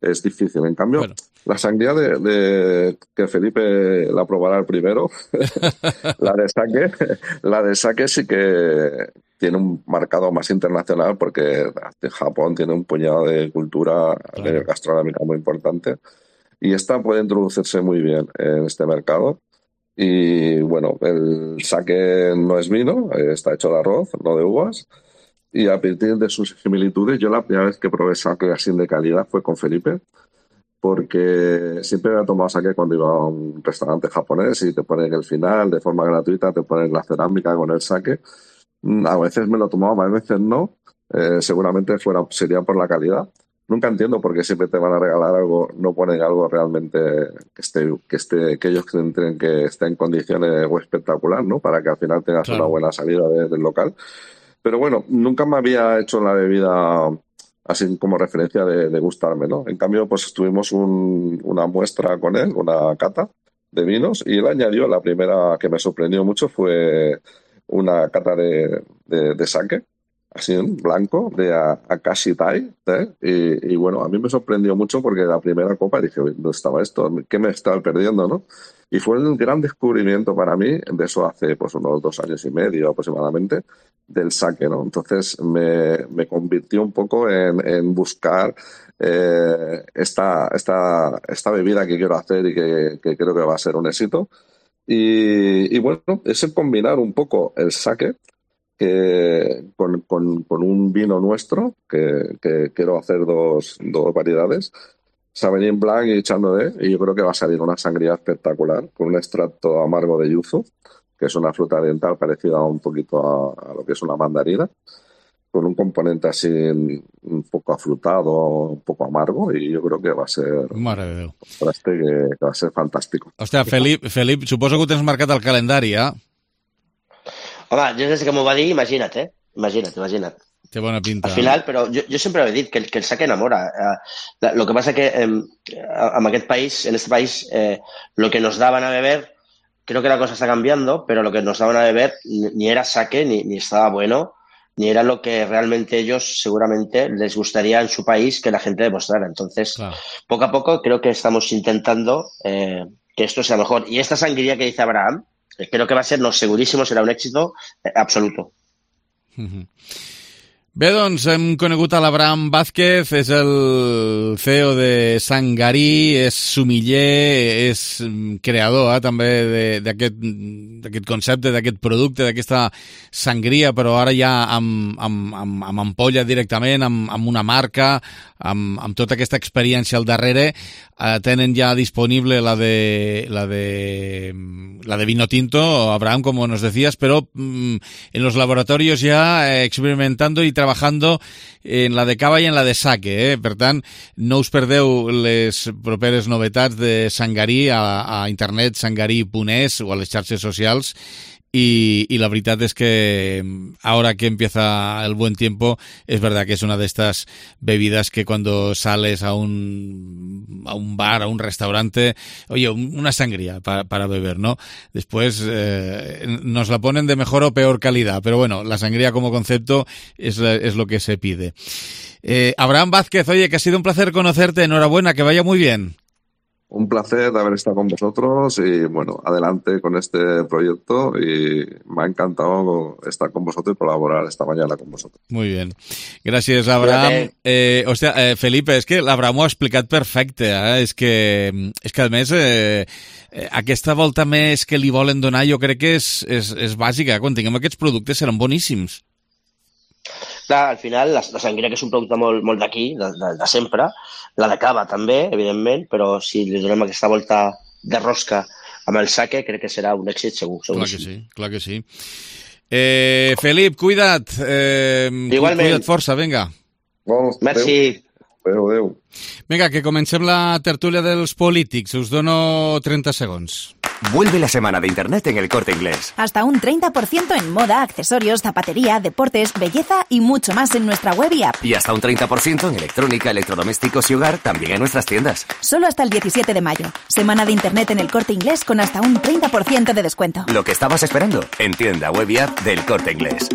es difícil. En cambio, bueno. la sangría de, de que Felipe la probará el primero, la de saque, la de saque sí que tiene un marcado más internacional porque Japón tiene un puñado de cultura claro. gastronómica muy importante y esta puede introducirse muy bien en este mercado. Y bueno, el sake no es vino, está hecho de arroz, no de uvas. Y a partir de sus similitudes, yo la primera vez que probé sake así de calidad fue con Felipe, porque siempre había tomado sake cuando iba a un restaurante japonés y te ponen el final, de forma gratuita, te ponen la cerámica con el sake. A veces me lo tomaba, a veces no. Eh, seguramente fuera, sería por la calidad. Nunca entiendo por qué siempre te van a regalar algo, no ponen algo realmente que esté, que esté, que ellos creen que esté en condiciones o espectacular, ¿no? Para que al final tengas claro. una buena salida de, del local. Pero bueno, nunca me había hecho la bebida así como referencia de, de gustarme, ¿no? En cambio, pues tuvimos un, una muestra con él, una cata de vinos, y él añadió, la primera que me sorprendió mucho fue una cata de, de, de sake, así en blanco, de Akashi Tai, ¿eh? y, y bueno, a mí me sorprendió mucho porque la primera copa dije, ¿dónde estaba esto? ¿Qué me estaba perdiendo, no? Y fue un gran descubrimiento para mí, de eso hace pues unos dos años y medio aproximadamente, del sake, ¿no? Entonces me, me convirtió un poco en, en buscar eh, esta, esta, esta bebida que quiero hacer y que, que creo que va a ser un éxito. Y, y bueno, es el combinar un poco el sake que, con, con, con un vino nuestro, que, que quiero hacer dos, dos variedades, Sauvignon Blanc y Chardonnay, y yo creo que va a salir una sangría espectacular con un extracto amargo de yuzu, que es una fruta oriental parecida un poquito a, a lo que es una mandarina, con un componente así un poco afrutado, un poco amargo, i jo crec que va ser Mare de Déu. un contraste que, que va ser fantàstic. Hòstia, Felip, Felip, suposo que ho tens marcat al calendari, eh? Home, jo des que m'ho va dir, imagina't, eh? Imagina't, imagina't. Té bona pinta. Al final, però jo, jo sempre he dit que el, que el sake enamora. Eh, lo que pasa que eh, en aquest país, en este país, eh, lo que nos daban a beber, creo que la cosa está cambiando, pero lo que nos daban a beber ni, ni era sake, ni, ni estaba bueno, ni era lo que realmente ellos seguramente les gustaría en su país que la gente demostrara. Entonces, claro, poco a poco creo que estamos intentando eh, que esto sea mejor. Y esta sangría que dice Abraham, creo que va a ser, no, segurísimo, serà un èxito eh, absoluto. Mm-hmm. Bé, doncs hem conegut a l'Abraham Vázquez, és el C E O de Sangarí, és sommelier, és creador eh, també d'aquest concepte, d'aquest producte, d'aquesta sangria, però ara ja amb, amb, amb, amb ampolla directament, amb, amb una marca, amb, amb tota aquesta experiència al darrere. Eh, tenen ja disponible la de, la de, la de vino tinto, Abraham, como nos decías, pero mmm, en los laboratorios ya eh, experimentando y trabajando en la de cava i en la de sake, eh? Per tant, no us perdeu les properes novetats de Sangarí a, a internet, sangarí punt es o a les xarxes socials. Y, y la verdad es que ahora que empieza el buen tiempo, es verdad que es una de estas bebidas que cuando sales a un, a un bar, a un restaurante, oye, una sangría para, para beber, ¿no? Después eh, nos la ponen de mejor o peor calidad, pero bueno, la sangría como concepto es, es lo que se pide. Eh, Abraham Vázquez, oye, que ha sido un placer conocerte, enhorabuena, que vaya muy bien. Un placer de haber estado con vosotros y, bueno, adelante con este proyecto y me ha encantado estar con vosotros y colaborar esta mañana con vosotros. Muy bien. Gràcies, Abraham. Eh, hòstia, eh, Felipe, és que l'Abraham ho ha explicat perfecte, eh? És que, és que a més, eh, aquesta volta més que li volen donar jo crec que és, és, és bàsica. Quan tinguem aquests productes seran boníssims. Clar, al final, la, la sangria, que és un producte molt, molt d'aquí, de, de, de sempre, la de cava també, evidentment, però si li donem aquesta volta de rosca amb el sake, crec que serà un èxit segur. Clar que sí, clar que sí. Eh, Felip, cuida't. Eh, Igualment. Cuida't força, vinga. Bon, Merci. Adéu, adéu. Vinga, que comencem la tertúlia dels polítics. Us dono trenta segons. Vuelve la semana de Internet en El Corte Inglés. Hasta un treinta por ciento en moda, accesorios, zapatería, deportes, belleza y mucho más en nuestra web y app. Y hasta un treinta por ciento en electrónica, electrodomésticos y hogar, también en nuestras tiendas. Solo hasta el diecisiete de mayo. Semana de Internet en El Corte Inglés con hasta un treinta por ciento de descuento. Lo que estabas esperando, en tienda web y app del Corte Inglés.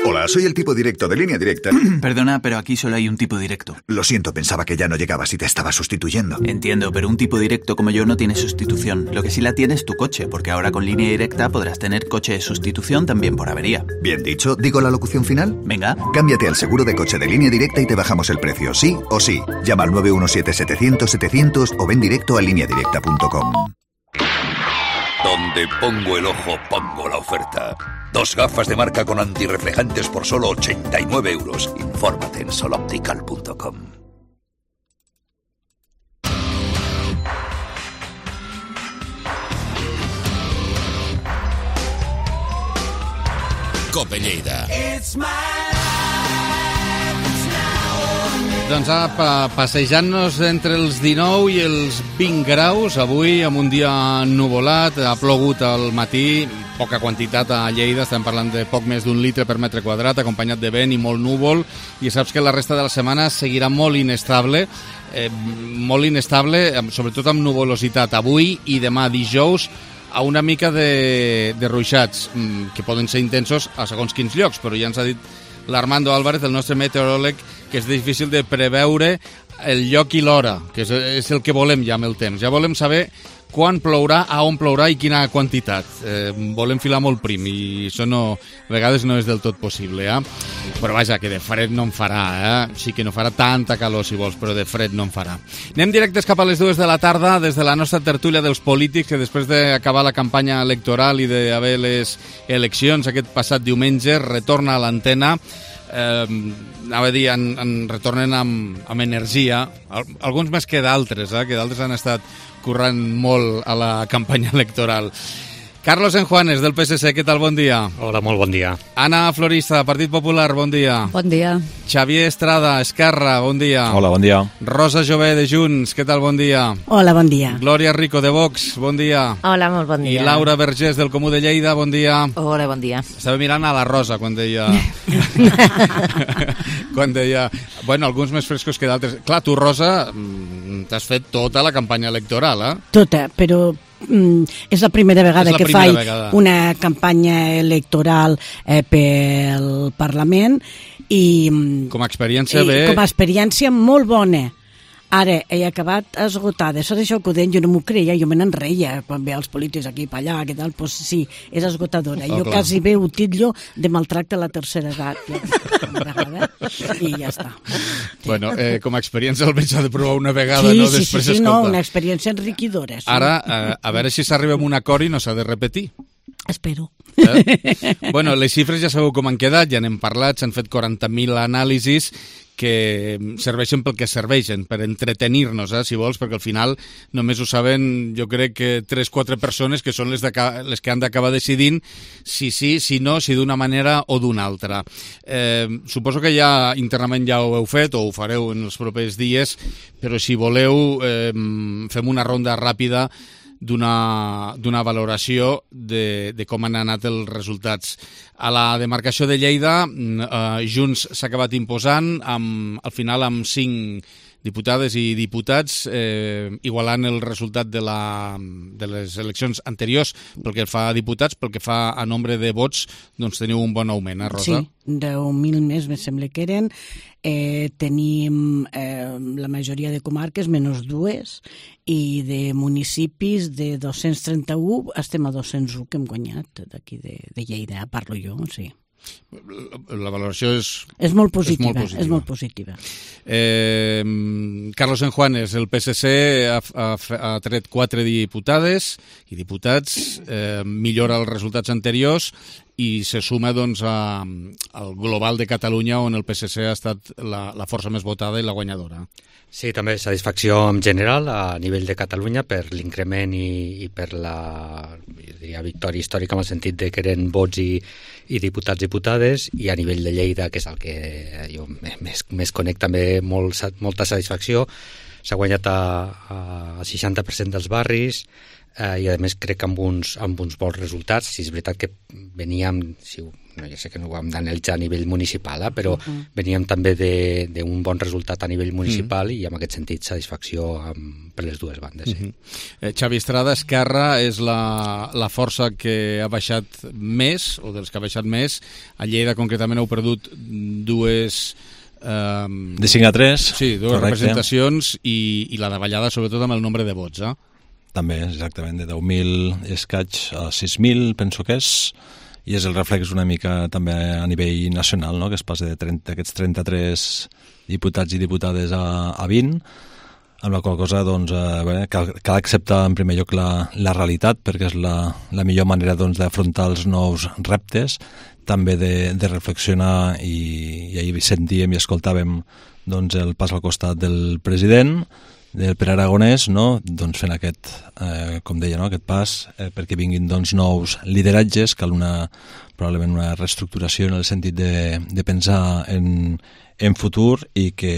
Hola, soy el tipo directo de Línea Directa. Perdona, pero aquí solo hay un tipo directo. Lo siento, pensaba que ya no llegabas y te estaba sustituyendo. Entiendo, pero un tipo directo como yo no tiene sustitución. Lo que sí la tiene es tu coche, porque ahora con Línea Directa podrás tener coche de sustitución también por avería. Bien dicho, ¿digo la locución final? Venga. Cámbiate al seguro de coche de Línea Directa y te bajamos el precio, sí o sí. Llama al nueve uno siete setecientos setecientos o ven directo a línea directa punto com. Donde pongo el ojo, pongo la oferta. Dos gafas de marca con antirreflejantes por solo ochenta y nueve euros. Infórmate en sol optical punto com. Cope Lleida. Doncs apa, passejant-nos entre els dinou i els vint graus, avui amb un dia nuvolat, ha plogut al matí, poca quantitat a Lleida, estem parlant de poc més d'un litre per metre quadrat, acompanyat de vent i molt núvol, i saps que la resta de la setmana seguirà molt inestable, eh, molt inestable, sobretot amb nuvolositat, avui i demà dijous, a una mica de, de ruixats, que poden ser intensos a segons quins llocs, però ja ens ha dit l'Armando Álvarez, el nostre meteoròleg, que és difícil de preveure el lloc i l'hora, que és, és el que volem ja amb el temps. Ja volem saber quan plourà, a on plourà i quina quantitat. Eh, volem filar molt prim i això no, a vegades no és del tot possible. Eh? Però vaja, que de fred no en farà. Eh? Sí que no farà tanta calor si vols, però de fred no en farà. Anem directes cap a les dues de la tarda des de la nostra tertúlia dels polítics, que després d'acabar la campanya electoral i d'haver les eleccions aquest passat diumenge retorna a l'antena. Eh, anava a dir, en, en retornen amb, amb energia, alguns més que d'altres, eh, que d'altres han estat currant molt a la campanya electoral. Carlos Enjuanes, del P S C, què tal? Bon dia. Hola, molt bon dia. Ana Florista, Partit Popular, bon dia. Bon dia. Xavier Estrada, Esquerra, bon dia. Hola, bon dia. Rosa Jové, de Junts, què tal? Bon dia. Hola, bon dia. Glòria Rico, de Vox, bon dia. Hola, molt bon dia. I Laura Vergés, del Comú de Lleida, bon dia. Hola, bon dia. Estava mirant a la Rosa quan deia... quan deia... Bueno, alguns més frescos que d'altres. Clar, tu, Rosa, t'has fet tota la campanya electoral, eh? Tota, però... Mm, és la primera vegada la que primera faig vegada. una campanya electoral eh, pel Parlament i com a experiència i, bé... com a experiència molt bona. Ara, he acabat esgotada. Això d'això que ho deien, jo no m'ho creia, jo me n'enreia quan veia els polítics aquí i allà, que tal, doncs sí, és esgotadora. Oh, jo clar. quasi bé ho titllo de maltracte a la tercera edat. Ja, i ja està. Sí. Bueno, eh, com a experiència almenys s'ha de provar una vegada, sí, no? Sí, Després sí, sí, escolta. no, una experiència enriquidora. Sí. Ara, eh, a veure si s'arriba a un acord i no s'ha de repetir. Espero. Eh? Bueno, les xifres ja sabeu com han quedat, ja n'hem parlat, s'han fet quaranta mil anàlisis que serveixen pel que serveixen, per entretenir-nos, eh, si vols, perquè al final només ho saben, jo crec que tres o quatre persones que són les, les que han d'acabar decidint si sí, si no, si d'una manera o d'una altra. Eh, suposo que ja internament ja ho heu fet o ho fareu en els propers dies, però si voleu eh, fem una ronda ràpida d'una d'una valoració de, de com han anat els resultats. A la demarcació de Lleida, eh, Junts s'ha acabat imposant, amb, al final amb cinc diputades i diputats, eh, igualant el resultat de, la, de les eleccions anteriors pel que fa a diputats, pel que fa a nombre de vots, doncs teniu un bon augment, eh, Rosa? Sí, deu mil més, me sembla que eren. Eh, tenim eh, la majoria de comarques, menys dues, i de municipis de dos-cents trenta-u estem a dos-cents u que hem guanyat d'aquí de, de Lleida, parlo jo, sí. La valoració és... És molt positiva, és molt positiva. És molt positiva. Eh, Carlos Enjuanes, el P S C ha, ha, ha tret quatre diputades i diputats, eh, millora els resultats anteriors i se suma doncs, a, al global de Catalunya, on el P S C ha estat la, la força més votada i la guanyadora. Sí, també satisfacció en general a nivell de Catalunya per l'increment i, i per la diria, victòria històrica en el sentit de que eren vots i, i diputats i diputades, i a nivell de Lleida, que és el que jo més, més conec, també molt, molta satisfacció. S'ha guanyat a, a seixanta per cent dels barris, eh, i a més crec que amb uns, amb uns bons resultats. Si és veritat que veníem, si ho, no, ja sé que no ho hem d'analitzar a nivell municipal, eh, però uh-huh. veníem també d'un bon resultat a nivell municipal uh-huh. i en aquest sentit satisfacció amb, per les dues bandes. Sí. Uh-huh. eh, Xavi Estrada, Esquerra és la, la força que ha baixat més, o dels que ha baixat més. A Lleida concretament heu perdut dues... Um, de cinc a tres. Sí, dues correcte. Representacions i, i la davallada sobretot amb el nombre de vots, eh? També, exactament, de deu mil escaig a sis mil, penso que és, i és el reflex una mica també a nivell nacional, no? Que es passa de trenta, aquests trenta-tres diputats i diputades a, a vint, amb la qual cosa doncs, eh, bé, cal, cal acceptar en primer lloc la, la realitat, perquè és la, la millor manera doncs, d'afrontar els nous reptes, també de, de reflexionar, i, i ahir sentíem i escoltàvem doncs, el pas al costat del president, del Pere Aragonès, no? Doncs fent aquest, eh, com deia, no? aquest pas, eh, perquè vinguin doncs, nous lideratges, cal una, probablement una reestructuració en el sentit de, de pensar en, en futur i que,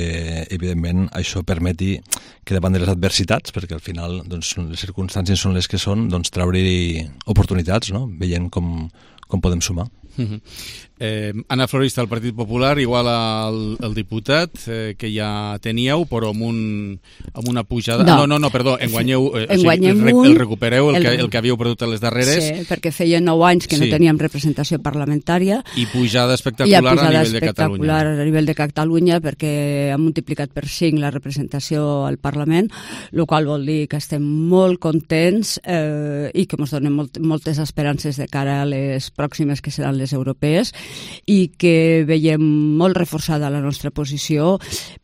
evidentment, això permeti que davant de les adversitats, perquè al final doncs, les circumstàncies són les que són, doncs treure-hi oportunitats, no? Veient com, com podem sumar. Uh-huh. eh, Anna Florista, del Partit Popular, igual al, al diputat eh, que ja teníeu, però amb, un, amb una pujada... No, no, no, no perdó, enguanyeu, eh, en o sigui, el, un, el recupereu, el, el, que, el que havíeu perdut a les darreres. Sí, perquè feia nou anys que sí. no teníem representació parlamentària. I pujada espectacular pujada a nivell de espectacular Catalunya. a nivell de Catalunya, perquè ha multiplicat per cinc la representació al Parlament, el qual vol dir que estem molt contents eh, i que ens donen molt, moltes esperances de cara a les pròximes, que seran les europees, i que veiem molt reforçada la nostra posició,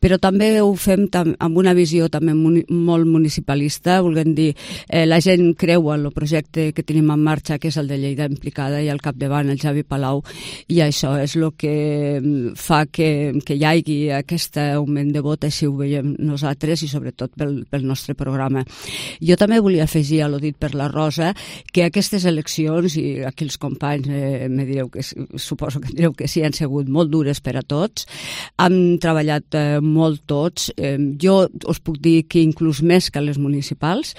però també ho fem tam amb una visió també muni molt municipalista, volguem dir, eh, la gent creu en el projecte que tenim en marxa, que és el de Lleida implicada, i al capdavant el Javi Palau, i això és el que fa que, que hi hagi aquest augment de vot, així ho veiem nosaltres, i sobretot pel, pel nostre programa. Jo també volia afegir a lo dit per la Rosa, que aquestes eleccions, i aquí els companys eh, me direu que suposo que direu que sí, han sigut molt dures per a tots, han treballat eh, molt tots, eh, jo us puc dir que inclús més que les municipals,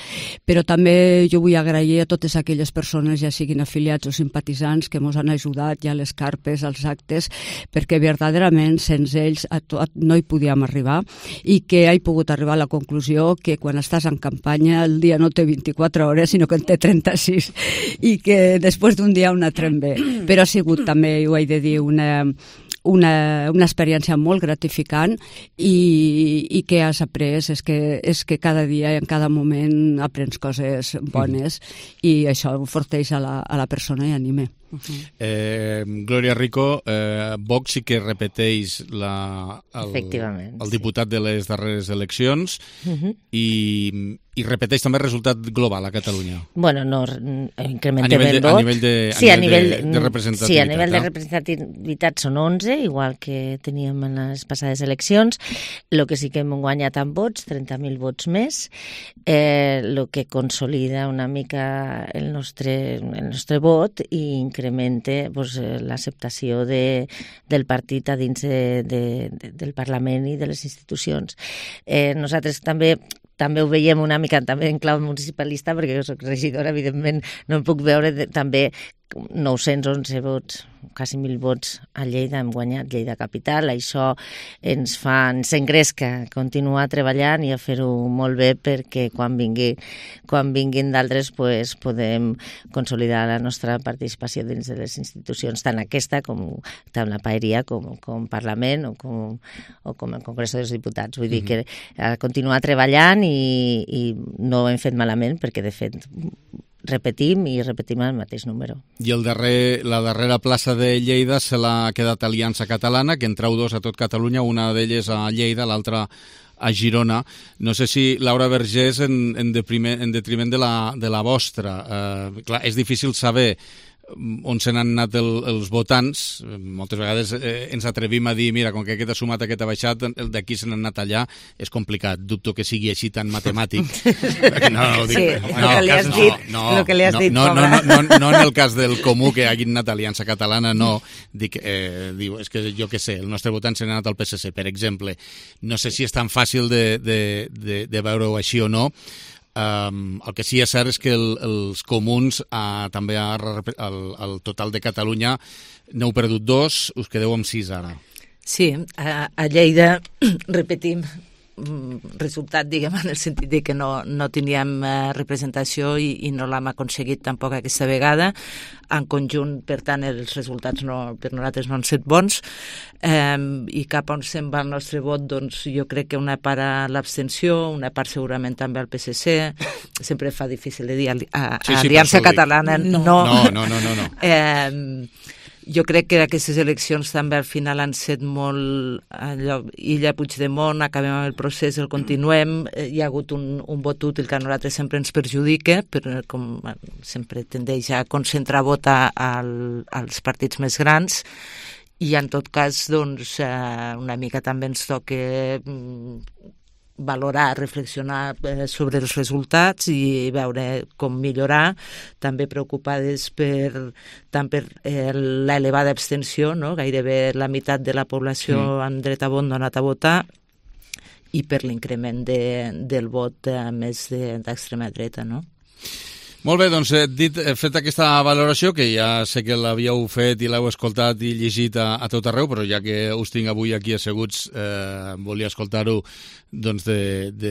però també jo vull agrair a totes aquelles persones, ja siguin afiliats o simpatitzants, que ens han ajudat ja a les carpes, als actes, perquè verdaderament sense ells a tot no hi podíem arribar, i que he pogut arribar a la conclusió que quan estàs en campanya el dia no té vint-i-quatre hores, sinó que en té trenta-sis, i que després d'un dia un altre en ve. Però ha sigut també, ho he de dir, una, una, una experiència molt gratificant, i, i que has après és que, és que cada dia i en cada moment aprens coses bones, mm. i això forteix a la, a la persona i anima. Uh-huh. eh, Glòria Rico, eh, Vox sí que repeteix la, el, el diputat sí. de les darreres eleccions, uh-huh. i, i repeteix també el resultat global a Catalunya. Bueno, no incrementem el vot. A nivell de, a sí, nivell a nivell de, de representativitat. Sí, a nivell de representativitat són onze, igual que teníem en les passades eleccions. El que sí que hem guanyat amb vots, trenta mil vots més, eh, el que consolida una mica el nostre, el nostre vot i incremente pues, l'acceptació de, del partit a dins de, de, de, del Parlament i de les institucions. Eh, nosaltres també també ho veiem una mica també en clau municipalista, perquè jo soc regidora, evidentment no em puc veure de, també nou-cents onze vots, quasi mil vots a Lleida, hem guanyat Lleida Capital, això ens fa, ens engresca continuar treballant i a fer-ho molt bé, perquè quan, vingui, quan vinguin d'altres pues, podem consolidar la nostra participació dins de les institucions, tant aquesta com tant la Paeria com, com Parlament o com, o com el Congrés dels Diputats. Vull dir que a continuar treballant i, i no ho hem fet malament, perquè de fet repetim i repetim el mateix número. I el darrer, la darrera plaça de Lleida se l'ha quedat Aliança Catalana, que en treu dos a tot Catalunya, una d'elles a Lleida, l'altra a Girona. No sé si, Laura Vergés, en, en, depriment, en detriment de la, de la vostra. Eh, clar, és difícil saber on se n'han anat el, els votants. Moltes vegades eh, ens atrevim a dir, mira, com que aquest ha sumat, aquest ha baixat, el d'aquí se n'han anat allà, és complicat. Dubto que sigui així tan matemàtic. No, no, dic, sí, no, el que li has no, dit, no, el que li has no, dit, no, no, no, no, no en el cas del comú que hagin anat a Aliança Catalana, no. Dic, eh, diu, és que jo què sé, el nostre votant se n'ha anat al P S C, per exemple. No sé si és tan fàcil de, de, de, de veure-ho així o no. Um, el que sí és cert és que el, els comuns uh, també al, al total de Catalunya n'heu perdut dos, us quedeu amb sis ara. Sí, a, a Lleida repetim resultat, diguem, en el sentit de que no, no teníem eh, representació i, i no l'hem aconseguit tampoc aquesta vegada. En conjunt, per tant, els resultats no, per nosaltres no han estat bons, eh, i cap on se'n va el nostre vot, doncs jo crec que una part a l'abstenció, una part segurament també al P S C, sempre fa difícil de dir a, a, a sí, sí, Aliança Catalana, no. No, no, no, no. no. Eh, jo crec que aquestes eleccions també al final han set molt allò, Illa Puigdemont, acabem amb el procés, el continuem, hi ha hagut un, un vot útil que a nosaltres sempre ens perjudica, però com sempre tendeix a concentrar vot a, a, als partits més grans, i en tot cas doncs, una mica també ens toca valorar, reflexionar eh, sobre els resultats i veure com millorar, també preocupades per, tant per eh, l'elevada abstenció, no? Gairebé la meitat de la població mm. amb dret a vot no ha anat a votar, i per l'increment de, del vot eh, més d'extrema dreta, no? Molt bé, doncs dit, fet aquesta valoració, que ja sé que l'havíeu fet i l'heu escoltat i llegit a, a tot arreu, però ja que us tinc avui aquí asseguts, eh, volia escoltar-ho doncs de, de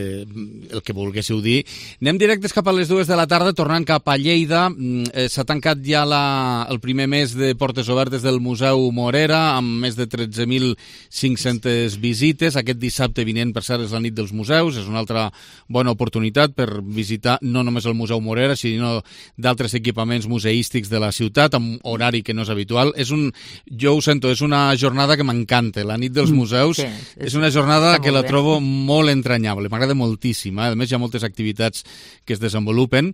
el que volguéssiu dir. Anem directes cap a les dues de la tarda, tornant cap a Lleida. Eh, S'ha tancat ja la, el primer mes de portes obertes del Museu Morera, amb més de tretze mil cinc-centes visites. Aquest dissabte vinent, per cert, és la nit dels museus, és una altra bona oportunitat per visitar no només el Museu Morera, sinó d'altres equipaments museístics de la ciutat, amb horari que no és habitual. És un, jo ho sento, és una jornada que m'encanta. La nit dels museus sí, és, és una jornada que la trobo molt entranyable, m'agrada moltíssim. Eh? A més, hi ha moltes activitats que es desenvolupen.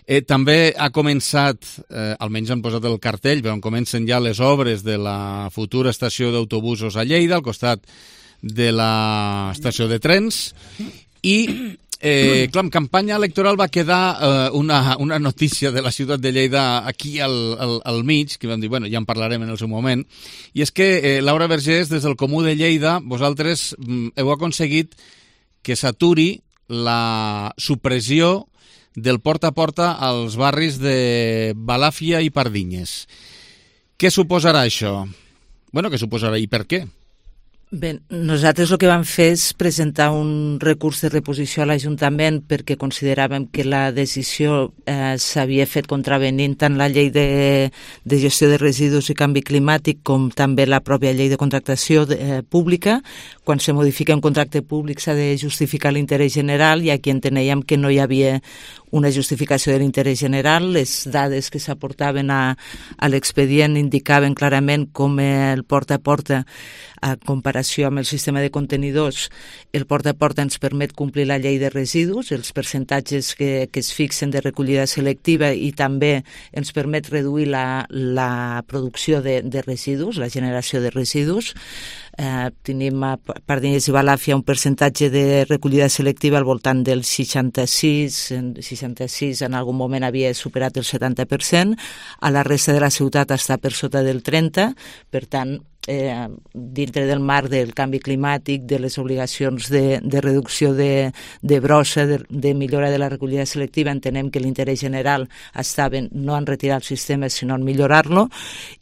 Eh, també ha començat, eh, almenys han posat el cartell, però on comencen ja les obres de la futura estació d'autobusos a Lleida, al costat de la estació de trens, i Eh, clar, en campanya electoral va quedar eh, una, una notícia de la ciutat de Lleida aquí al, al, al mig, que vam dir, bueno, ja en parlarem en el seu moment, i és que, eh, Laura Vergés, des del Comú de Lleida, vosaltres mm, heu aconseguit que s'aturi la supressió del porta a porta als barris de Balàfia i Pardinyes. Què suposarà això? Bueno, què suposarà i per què? Bé, nosaltres el que vam fer és presentar un recurs de reposició a l'Ajuntament perquè consideràvem que la decisió eh, s'havia fet contravenint tant la llei de, de gestió de residus i canvi climàtic com també la pròpia llei de contractació de, eh, pública. Quan se modifica un contracte públic s'ha de justificar l'interès general i aquí enteníem que no hi havia una justificació de l'interès general. Les dades que s'aportaven a, a l'expedient indicaven clarament com el porta a porta, a comparació amb el sistema de contenidors, el porta a porta ens permet complir la llei de residus, els percentatges que, que es fixen de recollida selectiva, i també ens permet reduir la, la producció de, de residus, la generació de residus. Eh, tenim a Pardinyes i Balàfia un percentatge de recollida selectiva al voltant del seixanta-sis, seixanta-sis en algun moment havia superat el setanta per cent, a la resta de la ciutat està per sota del trenta, per tant, Eh, dintre del marc del canvi climàtic, de les obligacions de, de reducció de, de brossa, de, de millora de la recollida selectiva, entenem que l'interès general estava no en retirar el sistema sinó en millorar-lo,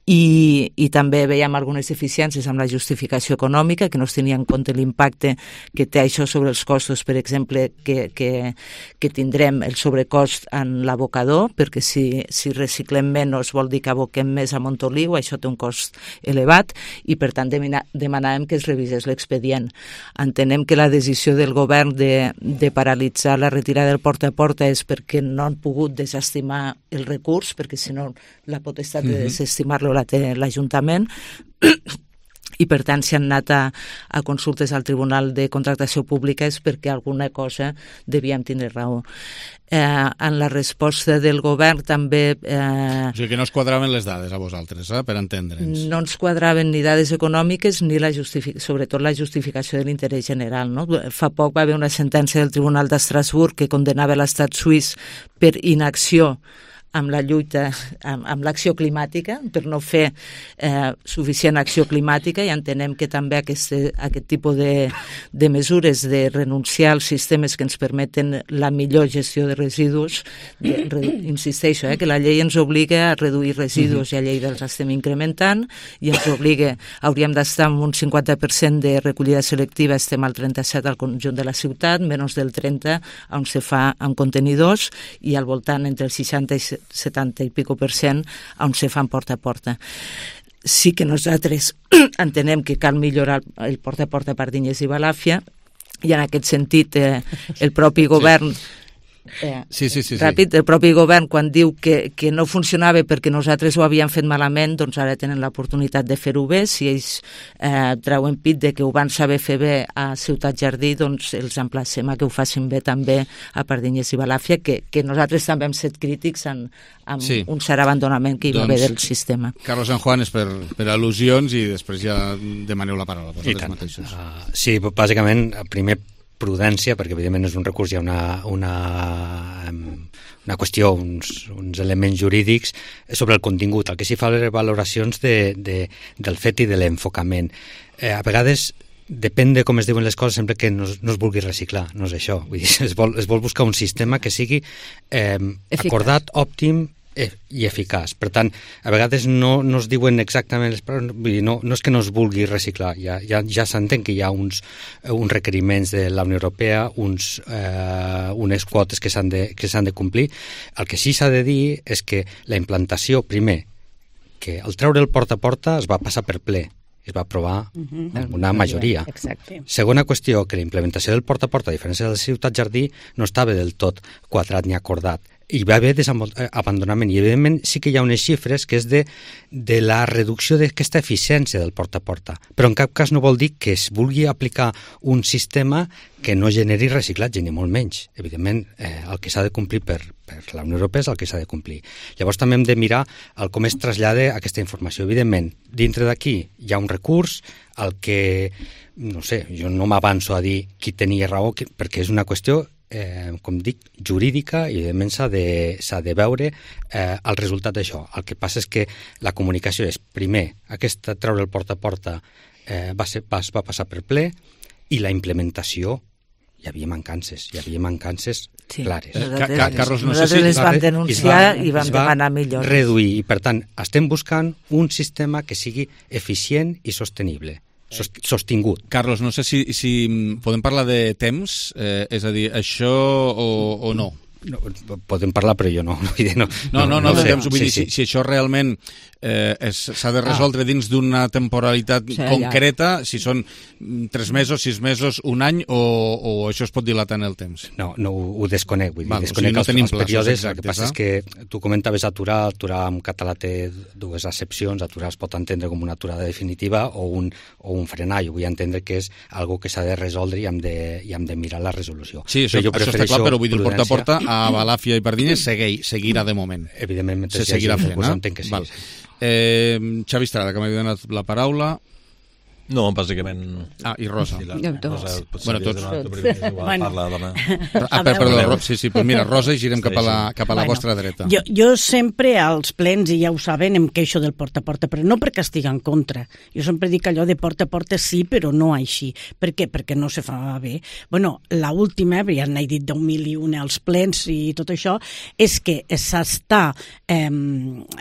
i, i també veiem algunes deficiències amb la justificació econòmica, que no es tenia en compte l'impacte que té això sobre els costos, per exemple, que, que, que tindrem el sobrecost en l'abocador, perquè si, si reciclem menys vol dir que aboquem més a Montoliu, això té un cost elevat, i per tant demanàvem que es revisés l'expedient. Entenem que la decisió del govern de, de paralitzar la retirada del porta a porta és perquè no han pogut desestimar el recurs, perquè si no la potestat de desestimar-lo la té l'Ajuntament, i per tant si han anat a, a consultes al Tribunal de Contractació Pública és perquè alguna cosa devíem tindre raó. Eh, en la resposta del govern també... Eh, o sigui que no es quadraven les dades a vosaltres, eh, per entendre'ns. No ens quadraven ni dades econòmiques ni la sobretot la justificació de l'interès general. No? Fa poc va haver una sentència del Tribunal d'Estrasburg que condenava l'estat suís per inacció amb la lluita, amb, amb l'acció climàtica, per no fer eh, suficient acció climàtica, i entenem que també aquest, aquest tipus de, de mesures de renunciar als sistemes que ens permeten la millor gestió de residus, de, re, insisteixo, eh, que la llei ens obliga a reduir residus, uh-huh. i a Lleida els estem incrementant, i ens obliga, hauríem d'estar amb un cinquanta per cent de recollida selectiva, estem al trenta-set al conjunt de la ciutat, menys del trenta on se fa amb contenidors, i al voltant entre el seixanta i setanta i pico per cent on se fan porta a porta. Sí que nosaltres entenem que cal millorar el porta a porta a Pardinyes i Balàfia, i en aquest sentit eh, el propi govern sí. Eh, sí, sí, sí, ràpid, sí. El propi govern quan diu que, que no funcionava perquè nosaltres ho havíem fet malament, doncs ara tenen l'oportunitat de fer-ho bé. Si ells eh, treuen pit de que ho van saber fer bé a Ciutat Jardí, doncs els emplacem a que ho facin bé també a Pardinyes i Balàfia, que, que nosaltres també hem set crítics en, en sí. un cert abandonament que hi va doncs, haver del sistema. Carlos San Juan, és per, per al·lusions, i després ja demaneu la paraula vosaltres mateixos. Uh, sí, bàsicament, primer prudència, perquè evidentment és un recurs, hi ha una, una, una qüestió, uns, uns elements jurídics sobre el contingut. El que sí fa les valoracions de, de, del fet i de l'enfocament. Eh, a vegades depèn de com es diuen les coses, sempre que no, no es vulgui reciclar, no és això. Vull dir, es vol, es vol buscar un sistema que sigui eh, acordat, òptim i eficaç. Per tant, a vegades no, no es diuen exactament les paraules, vull dir, no, no és que no es vulgui reciclar, ja, ja, ja s'entén que hi ha uns, uns requeriments de la Unió Europea, uns, eh, unes quotes que s'han de, que s'han de complir. El que sí s'ha de dir és que la implantació, primer, que el treure el porta a porta es va passar per ple, es va aprovar amb una majoria. Exacte. Segona qüestió, que la implementació del porta a porta, a diferència de la Ciutat Jardí, no estava del tot quadrat ni acordat. Hi va haver desabandonament i evidentment sí que hi ha unes xifres que és de, de la reducció d'aquesta eficiència del porta a porta, però en cap cas no vol dir que es vulgui aplicar un sistema que no generi reciclatge, ni molt menys. Evidentment, eh, el que s'ha de complir per, per la Unió Europea és el que s'ha de complir. Llavors també hem de mirar el com es trasllada aquesta informació. Evidentment, dintre d'aquí hi ha un recurs, el que, no sé, jo no m'avanço a dir qui tenia raó, perquè és una qüestió Eh, com dic, jurídica i evidentment s'ha de, s'ha de veure eh, el resultat d'això. El que passa és que la comunicació és, primer, aquesta treure el porta a porta eh, va, ser, va, va passar per ple i la implementació hi havia mancances, hi havia mancances sí, clares. Eh, Ca Ca Carlos, no sé si les vam denunciar va, i vam demanar millores. Reduir, i per tant estem buscant un sistema que sigui eficient i sostenible. Sostingut. Carlos, no sé si, si podem parlar de temps, eh, és a dir, això o, o no? No, podem parlar, però jo no. No, no, no, no, no de temps, vull sí, dir, sí. Si, si això realment eh, s'ha de resoldre ah. dins d'una temporalitat sí, concreta, ja. Si són tres mesos, sis mesos, un any, o, o això es pot dilatar en el temps? No, no ho desconec, vull dir, Val, desconec o sigui, no els, els períodes, exactes, el que passa eh? és que tu comentaves aturar, aturar en català té dues accepcions, aturar es pot entendre com una aturada definitiva o un, o un frenar, jo vull entendre que és algo que s'ha de resoldre i hem de, i hem de mirar la resolució. Sí, això, això està clar, però vull dir, el porta a porta a Balàfia i Pardines segueix, seguirà de moment. Evidentment, se seguirà fent, pues eh? entenc que sí. Val. Eh, Xavi Estrada, que m'ha donat la paraula. No, bàsicament... Ah, i Rosa. I la... Rosa bueno, tots. Bueno. Parla, dona. Ah, perdó, sí, sí, pues mira, Rosa, i girem cap a la, cap a la bueno, vostra dreta. Jo, jo sempre als plens, i ja ho saben, em queixo del porta a porta, però no perquè estigui en contra. Jo sempre dic allò de porta a porta sí, però no així. Per què? Perquè no se fa bé. Bueno, l'última, ja n'he dit deu mil i una als plens i tot això, és que s'està eh,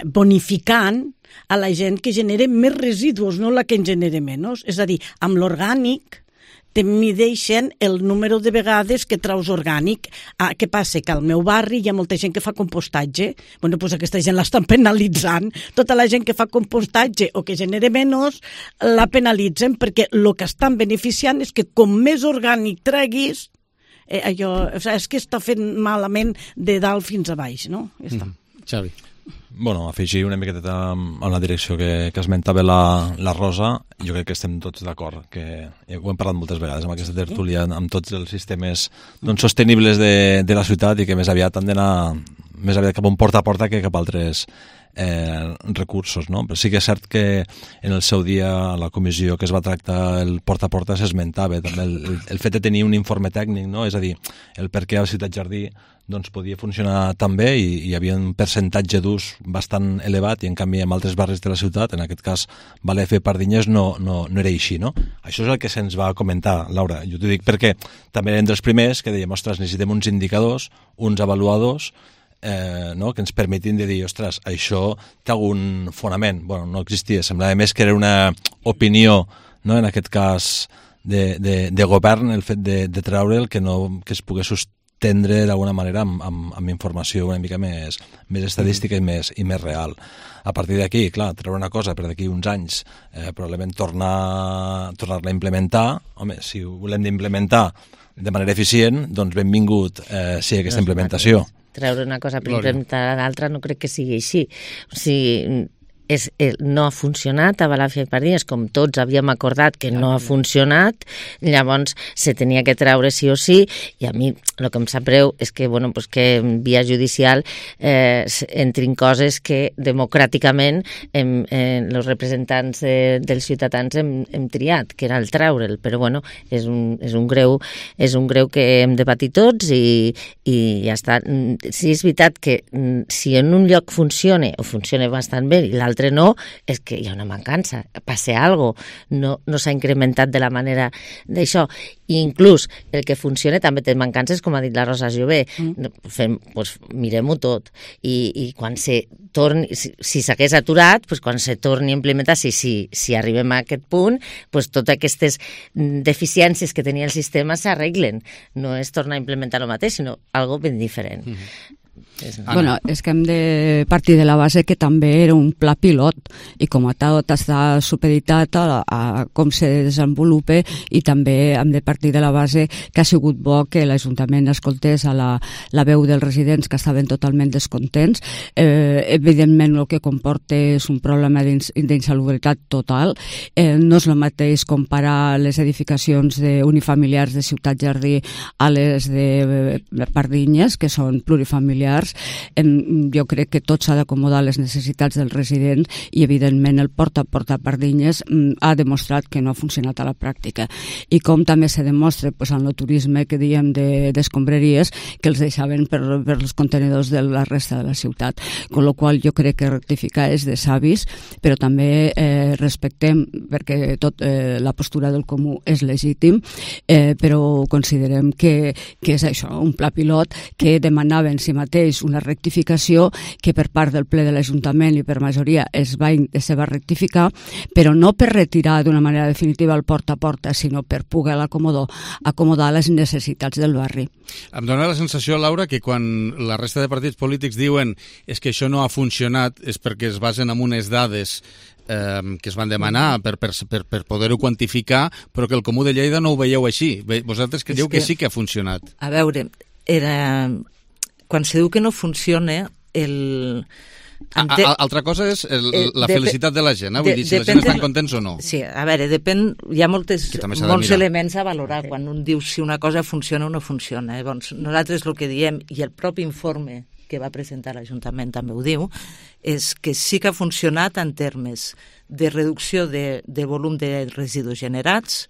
bonificant a la gent que genera més residus, no la que en genera menys. És a dir, amb l'orgànic te mideixen el número de vegades que traus orgànic. Ah, què passa? Que al meu barri hi ha molta gent que fa compostatge. Bueno, doncs aquesta gent l'estan penalitzant. Tota la gent que fa compostatge o que genera menys la penalitzen perquè el que estan beneficiant és que com més orgànic treguis, eh, allò, o sigui, és que està fent malament de dalt fins a baix, no? Ja està. Mm. Xavi. Bueno, afegir una miqueta en la direcció que, que esmentava la, la Rosa, jo crec que estem tots d'acord, que ja ho hem parlat moltes vegades amb aquesta tertúlia, amb tots els sistemes doncs, sostenibles de, de la ciutat i que més aviat han d'anar més aviat cap a un porta a porta que cap a altres eh, recursos, no? Però sí que és cert que en el seu dia a la comissió que es va tractar el porta a porta s'esmentava també el, el, el fet de tenir un informe tècnic, no? És a dir, el per què a la Ciutat Jardí doncs podia funcionar tan bé i, i hi havia un percentatge d'ús bastant elevat i en canvi en altres barris de la ciutat, en aquest cas Balàfia i Pardines, no, no, no era així, no? Això és el que se'ns va comentar, Laura. Jo t'ho dic perquè també eren dels primers que dèiem, ostres, necessitem uns indicadors, uns avaluadors, eh, no? que ens permetin de dir, ostres, això té algun fonament. Bueno, no existia, semblava més que era una opinió, no? En aquest cas de, de, de govern, el fet de, de treure'l, que, no, que es pogués sostendre tendre d'alguna manera amb, amb, amb informació una mica més, més estadística i més, i més real. A partir d'aquí, clar, treure una cosa per d'aquí uns anys, eh, probablement tornar, tornar-la a implementar. Home, si ho volem d'implementar de manera eficient, doncs benvingut eh, sigui aquesta implementació. Treure una cosa per implementar l'altra no crec que sigui així. O sigui, és, eh, no ha funcionat a Balàfia i Pardines, com tots havíem acordat que no ha funcionat, llavors se tenia que treure sí o sí, i a mi el que em sap greu és que, bueno, pues que en via judicial eh, entrin coses que democràticament hem, eh, els representants de, dels ciutadans hem, hem triat, que era el treure'l, però bueno, és un, és un greu és un greu que hem de patir tots i, i ja està. Sí, és veritat que si en un lloc funciona o funciona bastant bé i l'altre no, és que hi ha una mancança, passa alguna cosa, no, no s'ha incrementat de la manera d'això. I inclús el que funciona també té mancances, com ha dit la Rosa Jové. Mm. Fem, pues, mirem-ho tot. I, i quan se torni, si, si s'hagués aturat, pues, quan se torni a implementar, si, si, si arribem a aquest punt, pues, totes aquestes deficiències que tenia el sistema s'arreglen. No és tornar a implementar el mateix, sinó algo ben diferent. Mm-hmm. Bueno, és que hem de partir de la base que també era un pla pilot i com a tal està supeditat a, a com se desenvolupa i també hem de partir de la base que ha sigut bo que l'Ajuntament escoltés a la, la veu dels residents que estaven totalment descontents. Eh, evidentment el que comporta és un problema d'insalubritat total. Eh, no és el mateix comparar les edificacions de unifamiliars de Ciutat Jardí a les de Pardinyes, que són plurifamiliars. Jo crec que tot s'ha d'acomodar a les necessitats dels residents i evidentment el porta a porta a Pardinyes ha demostrat que no ha funcionat a la pràctica, i com també se demostra pues, en el turisme que diem d'escombraries de, que els deixaven per, per els contenedors de la resta de la ciutat, con lo qual jo crec que rectificar és de savis, però també eh, respectem, perquè tot eh, la postura del comú és legítim, eh, però considerem que, que és això, un pla pilot que demanava en si mateix una rectificació que per part del ple de l'Ajuntament i per majoria es va, se va rectificar, però no per retirar d'una manera definitiva el porta a porta, sinó per poder acomodar, acomodar les necessitats del barri. Em dóna la sensació, Laura, que quan la resta de partits polítics diuen és que això no ha funcionat és perquè es basen en unes dades eh, que es van demanar per, per, per, per poder-ho quantificar, però que el Comú de Lleida no ho veieu així. Vosaltres creieu que, que sí que ha funcionat. A veure, era... quan se diu que no funciona, el... Ente... Altra cosa és el, la Dep felicitat de la gent, eh? Vull de, dir, si la gent estan contents o no. Sí, a veure, depèn, hi ha moltes, molts elements a valorar quan un diu si una cosa funciona o no funciona. Eh? Doncs nosaltres el que diem, i el propi informe que va presentar l'Ajuntament també ho diu, és que sí que ha funcionat en termes de reducció de, de volum de residus generats,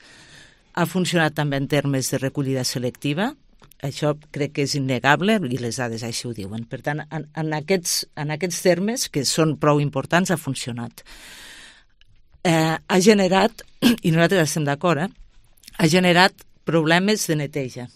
ha funcionat també en termes de recollida selectiva. Això crec que és innegable i les dades així ho diuen. Per tant, en, en, aquests, en aquests termes, que són prou importants, ha funcionat. Eh, ha generat, i nosaltres estem d'acord, eh, ha generat problemes de neteja.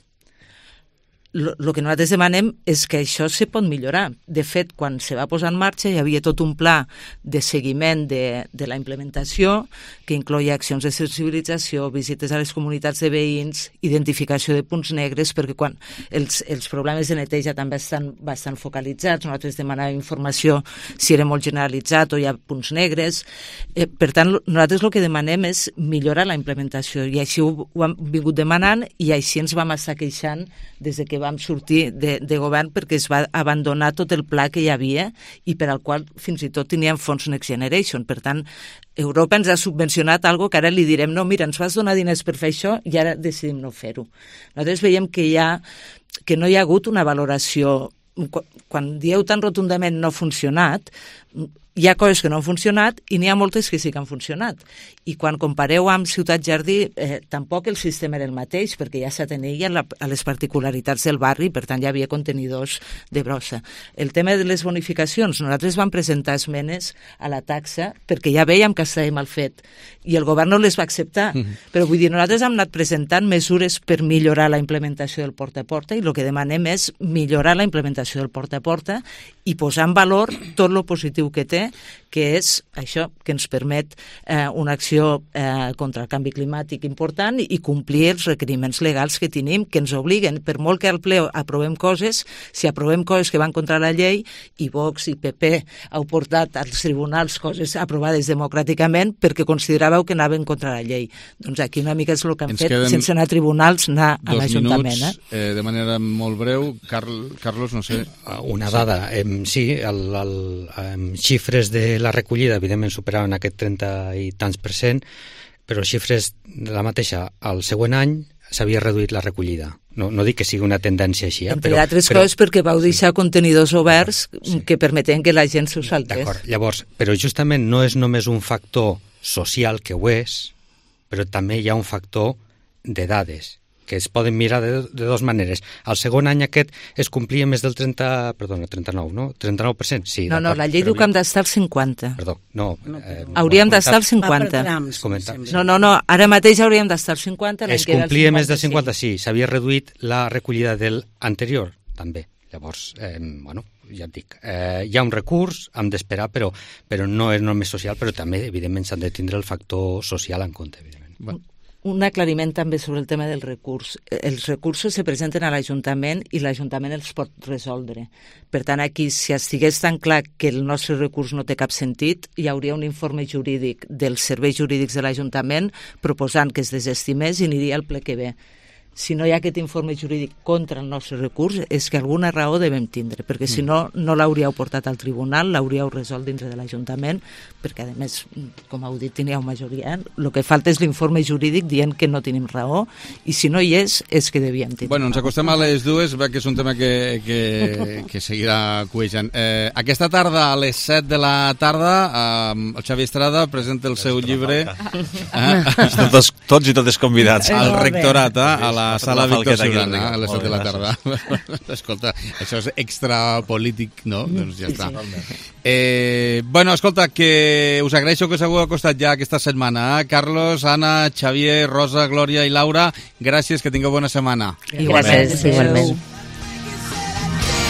El que nosaltres demanem és que això se pot millorar. De fet, quan se va posar en marxa hi havia tot un pla de seguiment de, de la implementació que incloïa accions de sensibilització, visites a les comunitats de veïns, identificació de punts negres, perquè quan els, els problemes de neteja també estan bastant focalitzats, nosaltres demanàvem informació si era molt generalitzat o hi ha punts negres. Eh, per tant, nosaltres el que demanem és millorar la implementació i així ho, ho hem vingut demanant i així ens vam estar queixant des de que vam sortir de, de govern perquè es va abandonar tot el pla que hi havia i per al qual fins i tot teníem fons Next Generation. Per tant, Europa ens ha subvencionat algo que ara li direm no, mira, ens vas donar diners per fer això i ara decidim no fer-ho. Nosaltres veiem que, hi ha, que no hi ha hagut una valoració. Quan dieu tan rotundament no ha funcionat, hi ha coses que no han funcionat i n'hi ha moltes que sí que han funcionat. I quan compareu amb Ciutat Jardí, eh, tampoc el sistema era el mateix, perquè ja s'atenia a les particularitats del barri, per tant hi havia contenidors de brossa. El tema de les bonificacions, nosaltres vam presentar esmenes a la taxa perquè ja veiem que estava mal fet i el govern no les va acceptar. Mm-hmm. Però vull dir, nosaltres hem anat presentant mesures per millorar la implementació del porta a porta i el que demanem és millorar la implementació del porta a porta i posar en valor tot el positiu que té, que és això, que ens permet eh, una acció eh, contra el canvi climàtic important i complir els requeriments legals que tenim, que ens obliguen, per molt que al ple aprovem coses, si aprovem coses que van contra la llei, i Vox i P P heu portat als tribunals coses aprovades democràticament perquè consideràveu que anaven contra la llei. Doncs aquí una mica és el que han ens fet, sense anar a tribunals, anar a l'Ajuntament. Eh? Eh, de manera molt breu, Carl, Carlos, no sé... Una dada, eh, sí, el, el, el xifres xifres de la recollida, evidentment, superaven aquest trenta i tants per cent, però les xifres de la mateixa, al següent any s'havia reduït la recollida. No, no dic que sigui una tendència així. Eh? Entre però, altres però, coses perquè vau deixar sí. contenidors oberts sí. que permeten que la gent s'ho saltés. D'acord, llavors, però justament no és només un factor social, que ho és, però també hi ha un factor de dades, que es poden mirar de, de dues maneres. Al segon any aquest es complia més del trenta, perdona, trenta-nou, no? trenta-nou per cent, sí. No, no, la llei diu que hem d'estar al cinquanta. Perdó, no. Eh, hauríem d'estar al cinquanta. No, no, no, ara mateix hauríem d'estar al cinquanta. Es complia més del cinquanta, sí. S'havia reduït la recollida del anterior, també. Llavors, eh, bueno, ja et dic, eh, hi ha un recurs, hem d'esperar, però, però no és només social, però també, evidentment, s'han de tindre el factor social en compte, evidentment. Bueno. Un aclariment també sobre el tema del recurs. Els recursos se presenten a l'Ajuntament i l'Ajuntament els pot resoldre. Per tant, aquí, si estigués tan clar que el nostre recurs no té cap sentit, hi hauria un informe jurídic dels serveis jurídics de l'Ajuntament proposant que es desestimés i aniria al ple que ve. Si no hi ha aquest informe jurídic contra el nostre recurs, és que alguna raó devem tindre, perquè si no, no l'hauríeu portat al tribunal, l'hauríeu resolt dintre de l'Ajuntament, perquè, a més, com heu dit, teníeu majoria. El que falta és l'informe jurídic dient que no tenim raó, i si no hi és, és que devíem tenir. Bueno, ens acostem a les dues, que és un tema que, que, que seguirà cuejant. Eh, aquesta tarda, a les set de la tarda, eh, el Xavi Estrada presenta el seu llibre... Eh, tots, tots i totes convidats. Al rectorat, eh, a la la sala Víctor Solana a les set de la tarda. Escolta, això és extra polític, no? Doncs ja està. Eh, bueno, escolta, que us agraeixo que us hagueu acostat ja aquesta setmana. Eh? Carlos, Anna, Xavier, Rosa, Glòria i Laura, gràcies, que tingueu bona setmana. Gràcies, igualment.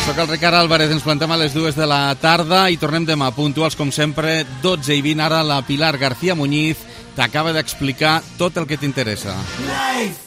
Soc el Ricard Álvarez, ens plantem a les dues de la tarda i tornem demà puntuals, com sempre, dotze i vint. Ara la Pilar García Muñiz t'acaba d'explicar tot el que t'interessa. Life.